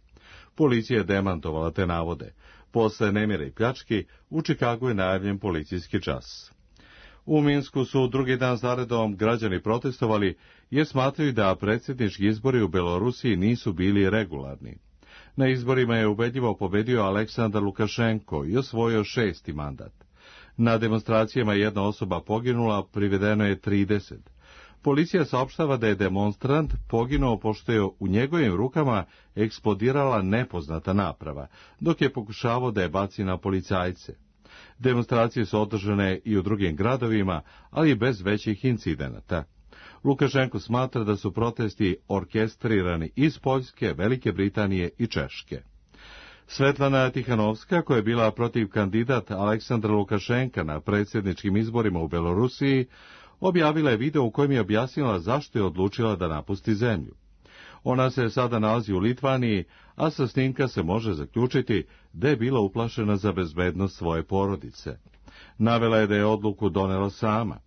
Policija je demantovala te navode. Posle nemira i pljački, u Čikagu je najavljen policijski čas. U Minsku su drugi dan zaredom građani protestovali jer smatraju da predsjednički izbori u Belorusiji nisu bili regularni. Na izborima je ubedljivo pobedio Aleksandar Lukašenko i osvojio šesti mandat. Na demonstracijama jedna osoba poginula, privedeno je trideset. Policija saopštava da je demonstrant poginuo pošto je u njegovim rukama eksplodirala nepoznata naprava, dok je pokušavao da je baci na policajce. Demonstracije su održane i u drugim gradovima, ali bez većih incidenata. Lukašenko smatra da su protesti orkestrirani iz Poljske, Velike Britanije i Češke. Svetlana Tihanovska, koja je bila protiv kandidat Aleksandra Lukašenka na predsjedničkim izborima u Belorusiji, objavila je video u kojem je objasnila zašto je odlučila da napusti zemlju. Ona se sada nalazi u Litvaniji, a sa snimka se može zaključiti da je bila uplašena za bezbednost svoje porodice. Navela je da je odluku donela sama.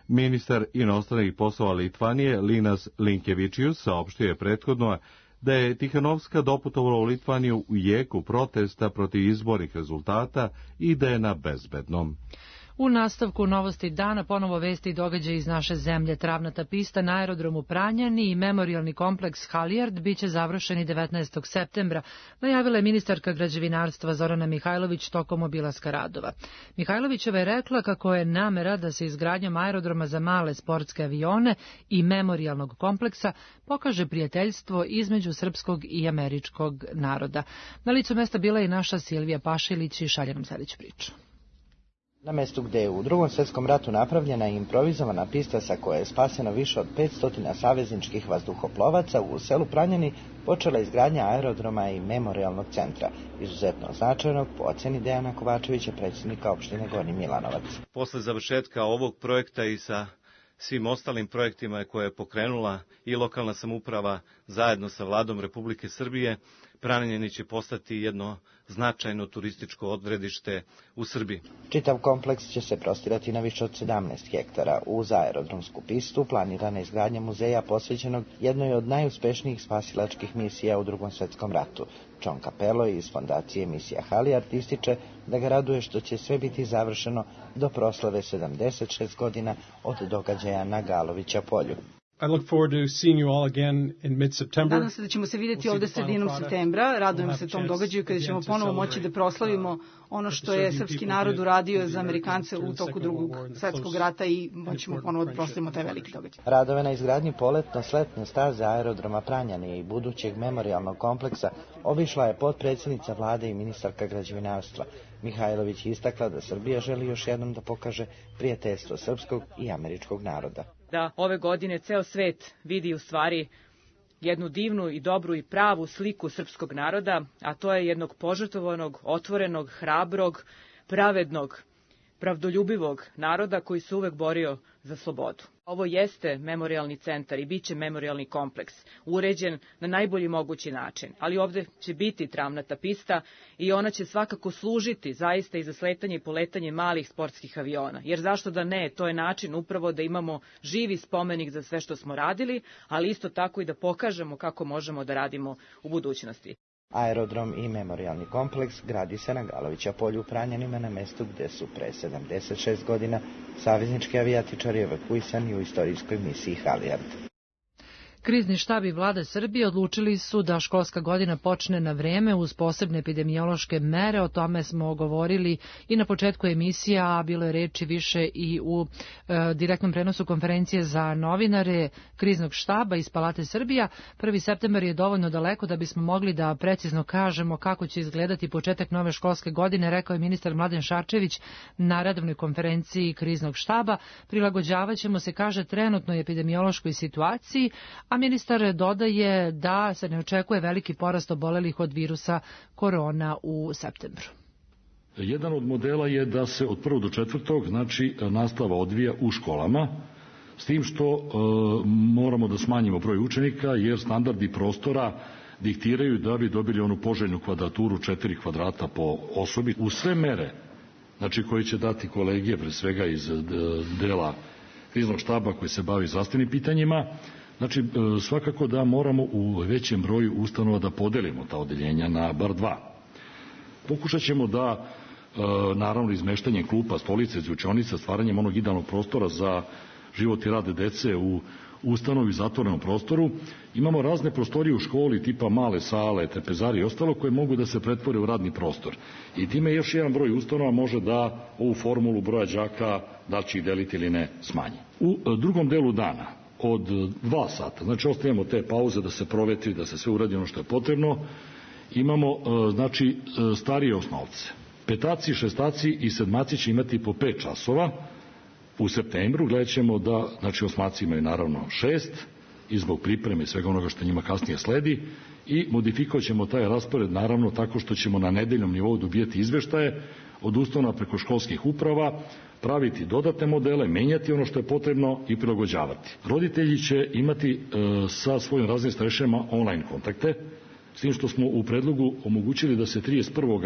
Ministar inostranih poslova Litvanije Linas Linkevičius saopštio je prethodno da je Tihanovska doputovala u Litvaniju u jeku protesta protiv izbornih rezultata i da je na bezbednom. U nastavku novosti dana ponovo vesti i događaje iz naše zemlje. Travnata pista na aerodromu Pranjani i memorijalni kompleks Halijard biće završeni devetnaestog septembra, najavila je ministarka građevinarstva Zorana Mihajlović tokom obilaska radova. Mihajlovićeva je rekla kako je namera da se izgradnjom aerodroma za male sportske avione i memorijalnog kompleksa pokaže prijateljstvo između srpskog i američkog naroda. Na licu mesta bila je i naša Silvija Pašilić i šalje nam sljedeću priču. Na mestu gde je u drugom svjetskom ratu napravljena i improvizovana pista sa koje je spaseno više od petsto savezničkih vazduhoplovaca, u selu Pranjani počela izgradnja aerodroma i memorijalnog centra, izuzetno značajnog po oceni Dejana Kovačevića, predsjednika opštine Gornji Milanovac. Posle završetka ovog projekta i sa svim ostalim projektima koje je pokrenula i lokalna samouprava, zajedno sa vladom Republike Srbije, Pranjani će postati jedno značajno turističko odredište u Srbiji. Čitav kompleks će se prostirati na više od sedamnaest hektara. Uz aerodromsku pistu planirana izgradnja muzeja posvećenog jednoj od najuspešnijih spasilačkih misija u Drugom svetskom ratu. John Capello iz fondacije Misija Halijard ističe da ga raduje što će sve biti završeno do proslave sedamdeset šest godina od događaja na Galovića polju. I look forward to seeing you all again in mid-September. Nadam se da ćemo se vidjeti ovde sredinom septembra. Radujem se tom događaju kada ćemo ponovo moći da proslavimo ono što je srpski narod uradio za Amerikance u toku Drugog svetskog rata i moćemo ponovo da proslavimo taj veliki događaj. Radove na izgradnji poletno-sletne staze aerodroma Pranjani i budućeg memorijalnog kompleksa obišla je potpredsjednica vlade i ministarka građevinarstva. Mihajlović je istakla da Srbija želi još jednom da pokaže prijateljstvo srpskog i američkog naroda. Da ove godine ceo svet vidi u stvari jednu divnu i dobru i pravu sliku srpskog naroda, a to je jednog požrtvovanog, otvorenog, hrabrog, pravednog, pravdoljubivog naroda koji se uvek borio za slobodu. Ovo jeste memorijalni centar i bit će memorijalni kompleks, uređen na najbolji mogući način, ali ovde će biti travnata pista i ona će svakako služiti zaista i za sletanje i poletanje malih sportskih aviona, jer zašto da ne, to je način upravo da imamo živi spomenik za sve što smo radili, ali isto tako i da pokažemo kako možemo da radimo u budućnosti. Aerodrom i memorijalni kompleks gradi se na Galovića polju u Pranjanima, na mestu gde su pre sedamdeset šest godina saveznički avijatičari evakuisani u istorijskoj misiji Halijard. Krizni štab i vlada Srbije odlučili su da školska godina počne na vreme uz posebne epidemiološke mere. O tome smo govorili i na početku emisija, a bilo je reči više i u e, direktnom prenosu konferencije za novinare Kriznog štaba iz Palate Srbija. prvi septembar je dovoljno daleko da bismo mogli da precizno kažemo kako će izgledati početak nove školske godine, rekao je ministar Mladen Šarčević na redovnoj konferenciji Kriznog štaba. Prilagođavaćemo se, kaže, trenutnoj epidemiološkoj situaciji, a ministar dodaje da se ne očekuje veliki porast obolelih od virusa korona u septembru. Jedan od modela je da se od prvog do četvrtog, znači, nastava odvija u školama, s tim što e, moramo da smanjimo broj učenika, jer standardi prostora diktiraju da bi dobili onu poželjnu kvadraturu četiri kvadrata po osobi. U sve mere, znači, koje će dati kolegije, pre svega iz dela Kriznog štaba koji se bavi zdravstvenim pitanjima, znači, svakako da moramo u većem broju ustanova da podelimo ta odeljenja na bar dva. Pokušat ćemo da, naravno, izmeštanjem klupa, stolice, učionica, stvaranjem onog idealnog prostora za život i rad dece u ustanovi, zatvorenom prostoru, imamo razne prostorije u školi, tipa male sale, trpezari i ostalo, koje mogu da se pretvore u radni prostor. I time još jedan broj ustanova može da ovu formulu broja đaka, da će ih deliti ili ne, smanji. U drugom delu dana, od dva sata, znači ostavljamo te pauze da se provetri, da se sve uradi ono što je potrebno, imamo, znači, starije osnovce. Petaci, šestaci i sedmaci će imati po pet časova. U septembru gledat ćemo da, znači, osmaci imaju naravno šest, i zbog pripreme i svega onoga što njima kasnije sledi, i modifikovat ćemo taj raspored naravno tako što ćemo na nedeljnom nivou dobijati izveštaje od ustanova preko školskih uprava, praviti dodatne modele, menjati ono što je potrebno i prilagođavati. Roditelji će imati e, sa svojim raznim starešinama online kontakte, s tim što smo u predlogu omogućili da se trideset prvog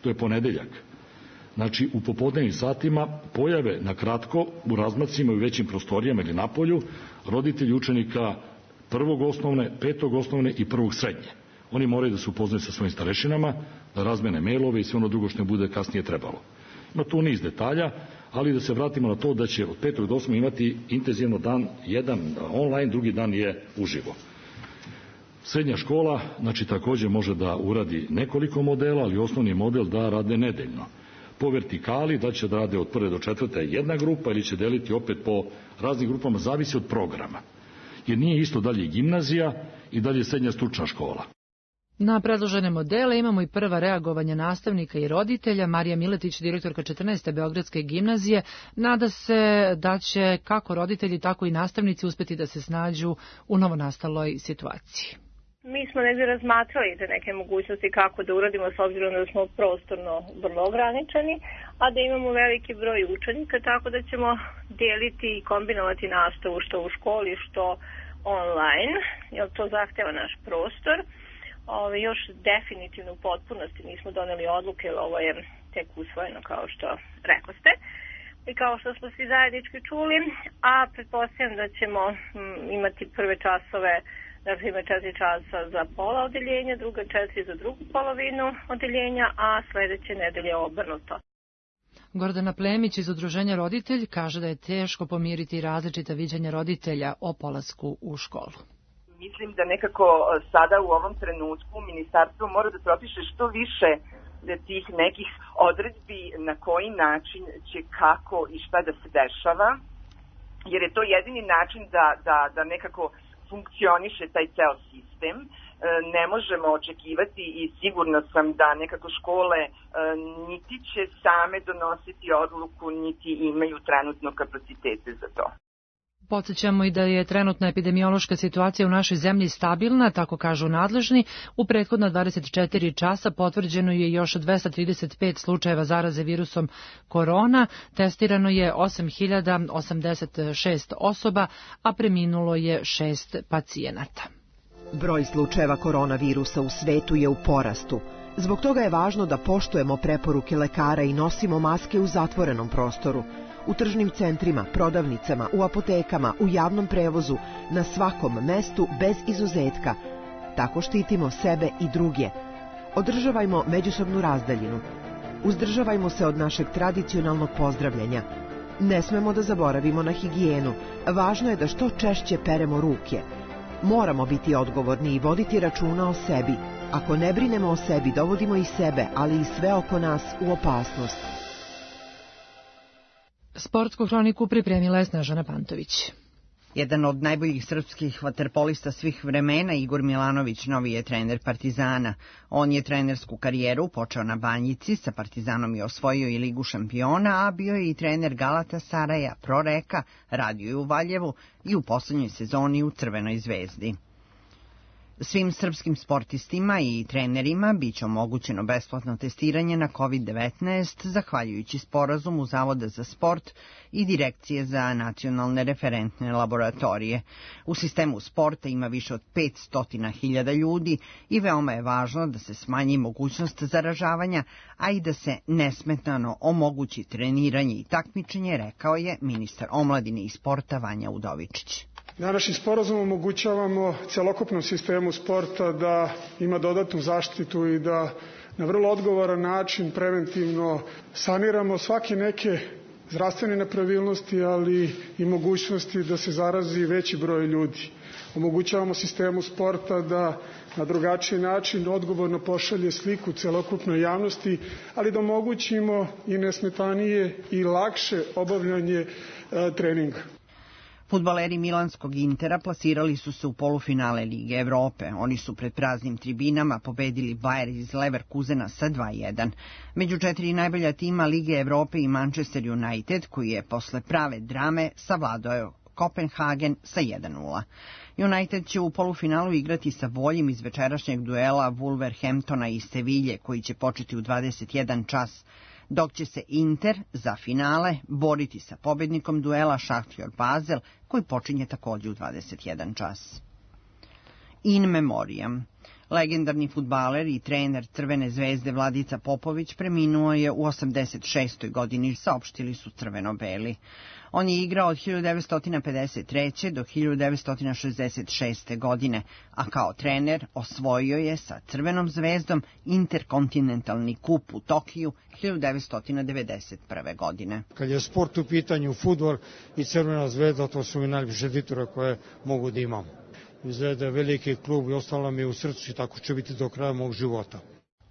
to je ponedeljak, znači u popodnevnim satima, pojave na kratko u razmacima i u većim prostorijama ili napolju roditelji učenika prvog osnovne, petog osnovne i prvog srednje. Oni moraju da se upoznaju sa svojim starešinama, da razmene mailove i sve ono drugo što ne bude kasnije trebalo. Ima tu niz detalja, ali da se vratimo na to da će od petog do osmog imati intenzivno dan, jedan online, drugi dan je uživo. Srednja škola, znači, takođe može da uradi nekoliko modela, ali osnovni model da rade nedeljno. Po vertikali, da će da rade od prve do četvrte jedna grupa ili će deliti opet po raznim grupama, zavisi od programa. Jer nije isto dalje gimnazija i dalje srednja stručna škola. Na predložene modele imamo i prva reagovanja nastavnika i roditelja. Marija Miletić, direktorka četrnaeste Beogradske gimnazije, nada se da će kako roditelji, tako i nastavnici uspeti da se snađu u novonastaloj situaciji. Mi smo negdje razmatrali te neke mogućnosti kako da uradimo, s obzirom da smo prostorno vrlo ograničeni, a da imamo veliki broj učenika, tako da ćemo deliti i kombinovati nastavu što u školi, što online, jer to zahteva naš prostor. Ove, još definitivno u potpunosti nismo doneli odluke, jer ovo je tek usvojeno kao što rekoste. I kao što smo svi zajednički čuli, a pretpostavljam da ćemo m, imati prve časove, dakle ima četiri časa za pola odeljenja, druga četiri za drugu polovinu odeljenja, a sledeće nedelje obrnuto. Gordana Plemić iz Udruženja Roditelj kaže da je teško pomiriti različita viđanja roditelja o polasku u školu. Mislim da nekako sada u ovom trenutku ministarstvo mora da propiše što više tih nekih odredbi na koji način će kako i šta da se dešava, jer je to jedini način da, da, da nekako funkcioniše taj ceo sistem. Ne možemo očekivati i sigurno sam da nekako škole niti će same donositi odluku, niti imaju trenutno kapacitete za to. Podsjećamo i da je trenutna epidemiološka situacija u našoj zemlji stabilna, tako kažu nadležni. U prethodna dvadeset četiri časa potvrđeno je još dvesta trideset pet slučajeva zaraze virusom korona, testirano je osam hiljada osamdeset šest osoba, a preminulo je šest pacijenata. Broj slučajeva koronavirusa u svetu je u porastu. Zbog toga je važno da poštujemo preporuke lekara i nosimo maske u zatvorenom prostoru. U tržnim centrima, prodavnicama, u apotekama, u javnom prevozu, na svakom mestu bez izuzetka. Tako štitimo sebe i druge. Održavajmo međusobnu razdaljinu. Uzdržavajmo se od našeg tradicionalnog pozdravljanja. Ne smemo da zaboravimo na higijenu. Važno je da što češće peremo ruke. Moramo biti odgovorni i voditi računa o sebi. Ako ne brinemo o sebi, dovodimo i sebe, ali i sve oko nas u opasnost. Sportsku hroniku pripremila je Snežana Pantović. Jedan od najboljih srpskih vaterpolista svih vremena, Igor Milanović, novi je trener Partizana. On je trenersku karijeru počeo na Banjici, sa Partizanom je osvojio i Ligu šampiona, a bio je i trener Galatasaraja, Proreka, radio je u Valjevu i u poslednjoj sezoni u Crvenoj zvezdi. Svim srpskim sportistima i trenerima biće omogućeno besplatno testiranje na kovid devetnaest, zahvaljujući sporazumu Zavoda za sport i Direkcije za nacionalne referentne laboratorije. U sistemu sporta ima više od petsto hiljada ljudi i veoma je važno da se smanji mogućnost zaražavanja, a i da se nesmetano omogući treniranje i takmičenje, rekao je ministar omladine i sporta Vanja Udovičić. Današnjim sporazumom omogućavamo celokupnom sistemu sporta da ima dodatnu zaštitu i da na vrlo odgovoran način preventivno saniramo svake neke zdravstvene nepravilnosti, ali i mogućnosti da se zarazi veći broj ljudi. Omogućavamo sistemu sporta da na drugačiji način odgovorno pošalje sliku celokupnoj javnosti, ali da omogućimo i nesmetanije i lakše obavljanje e, treninga. Fudbaleri milanskog Intera plasirali su se u polufinale Lige Evrope. Oni su pred praznim tribinama pobedili Bayer iz Leverkusena sa dva jedan. Među četiri najbolja tima Lige Evrope i Manchester United, koji je posle prave drame savladao Kopenhagen sa jedan nula. United će u polufinalu igrati sa boljim iz večerašnjeg duela Wolverhamptona i Sevilje, koji će početi u dvadeset jedan čas, dok će se Inter za finale boriti sa pobednikom duela Šahtjor Basel, koji počinje takođe u dvadeset jedan čas. In memoriam. Legendarni fudbaler i trener Crvene zvezde Vladica Popović preminuo je u osamdeset šestoj godini, saopštili su crveno-beli. On je igrao od hiljadu devetsto pedeset treće do hiljadu devetsto šezdeset šeste. godine, a kao trener osvojio je sa Crvenom zvezdom Interkontinentalni kup u Tokiju hiljadu devetsto devedeset prve. godine. Kad je sport u pitanju, fudbal i Crvena zvezda, to su mi najljepše titule koje mogu da imam. Zvezda je veliki klub i ostalo mi je u srcu i tako će biti do kraja mog života.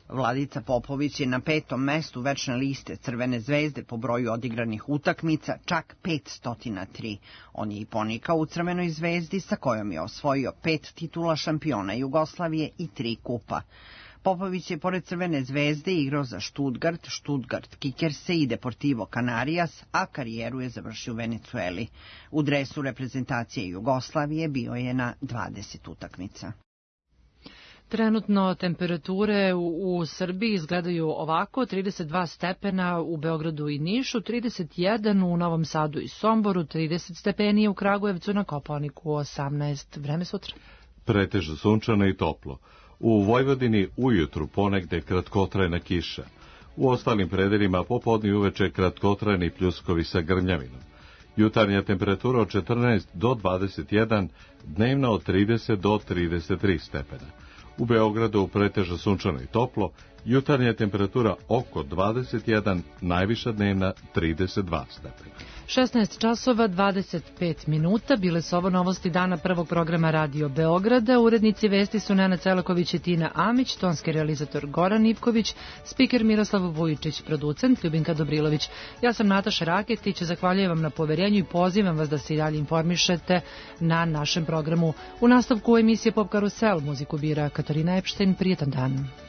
Vladica Popović je na petom mestu večne liste Crvene zvezde po broju odigranih utakmica, čak petsto tri. On je i ponikao u Crvenoj zvezdi, sa kojom je osvojio pet titula šampiona Jugoslavije i tri kupa. Popović je pored Crvene zvezde igrao za Stuttgart, Stuttgart Kickerse i Deportivo Canarias, a karijeru je završio u Venecueli. U dresu reprezentacije Jugoslavije bio je na dvadeset utakmica. Trenutno temperature u, u Srbiji izgledaju ovako: trideset dva stepena u Beogradu i Nišu, trideset jedan u Novom Sadu i Somboru, trideset stepeni u Kragujevcu, na Kopaoniku osamnaest. Vreme sutra. Pretežno sunčano i toplo. U Vojvodini ujutru ponegde kratkotrajna kiša. U ostalim predelima popodne i uveče kratkotrajni pljuskovi sa grmljavinom. Jutarnja temperatura od četrnaest do dvadeset jedan, dnevna od trideset do trideset tri stepena. U Beogradu pretežno sunčano i toplo, jutarnja temperatura oko dvadeset jedan, najviša dnevna trideset dva stepena. šesnaest časova dvadeset pet minuta, bile su ovo novosti dana prvog programa Radio Beograda. Urednici vesti su Nena Celaković i Tina Amić, tonski realizator Goran Ivković, spiker Miroslav Vujičić, producent Ljubinka Dobrilović. Ja sam Nataša Raketić, zahvaljujem vam na poverenju i pozivam vas da se i dalje informišete na našem programu. U nastavku emisije Pop Karusel muziku bira Katarina Epštajn. Prijetan dan.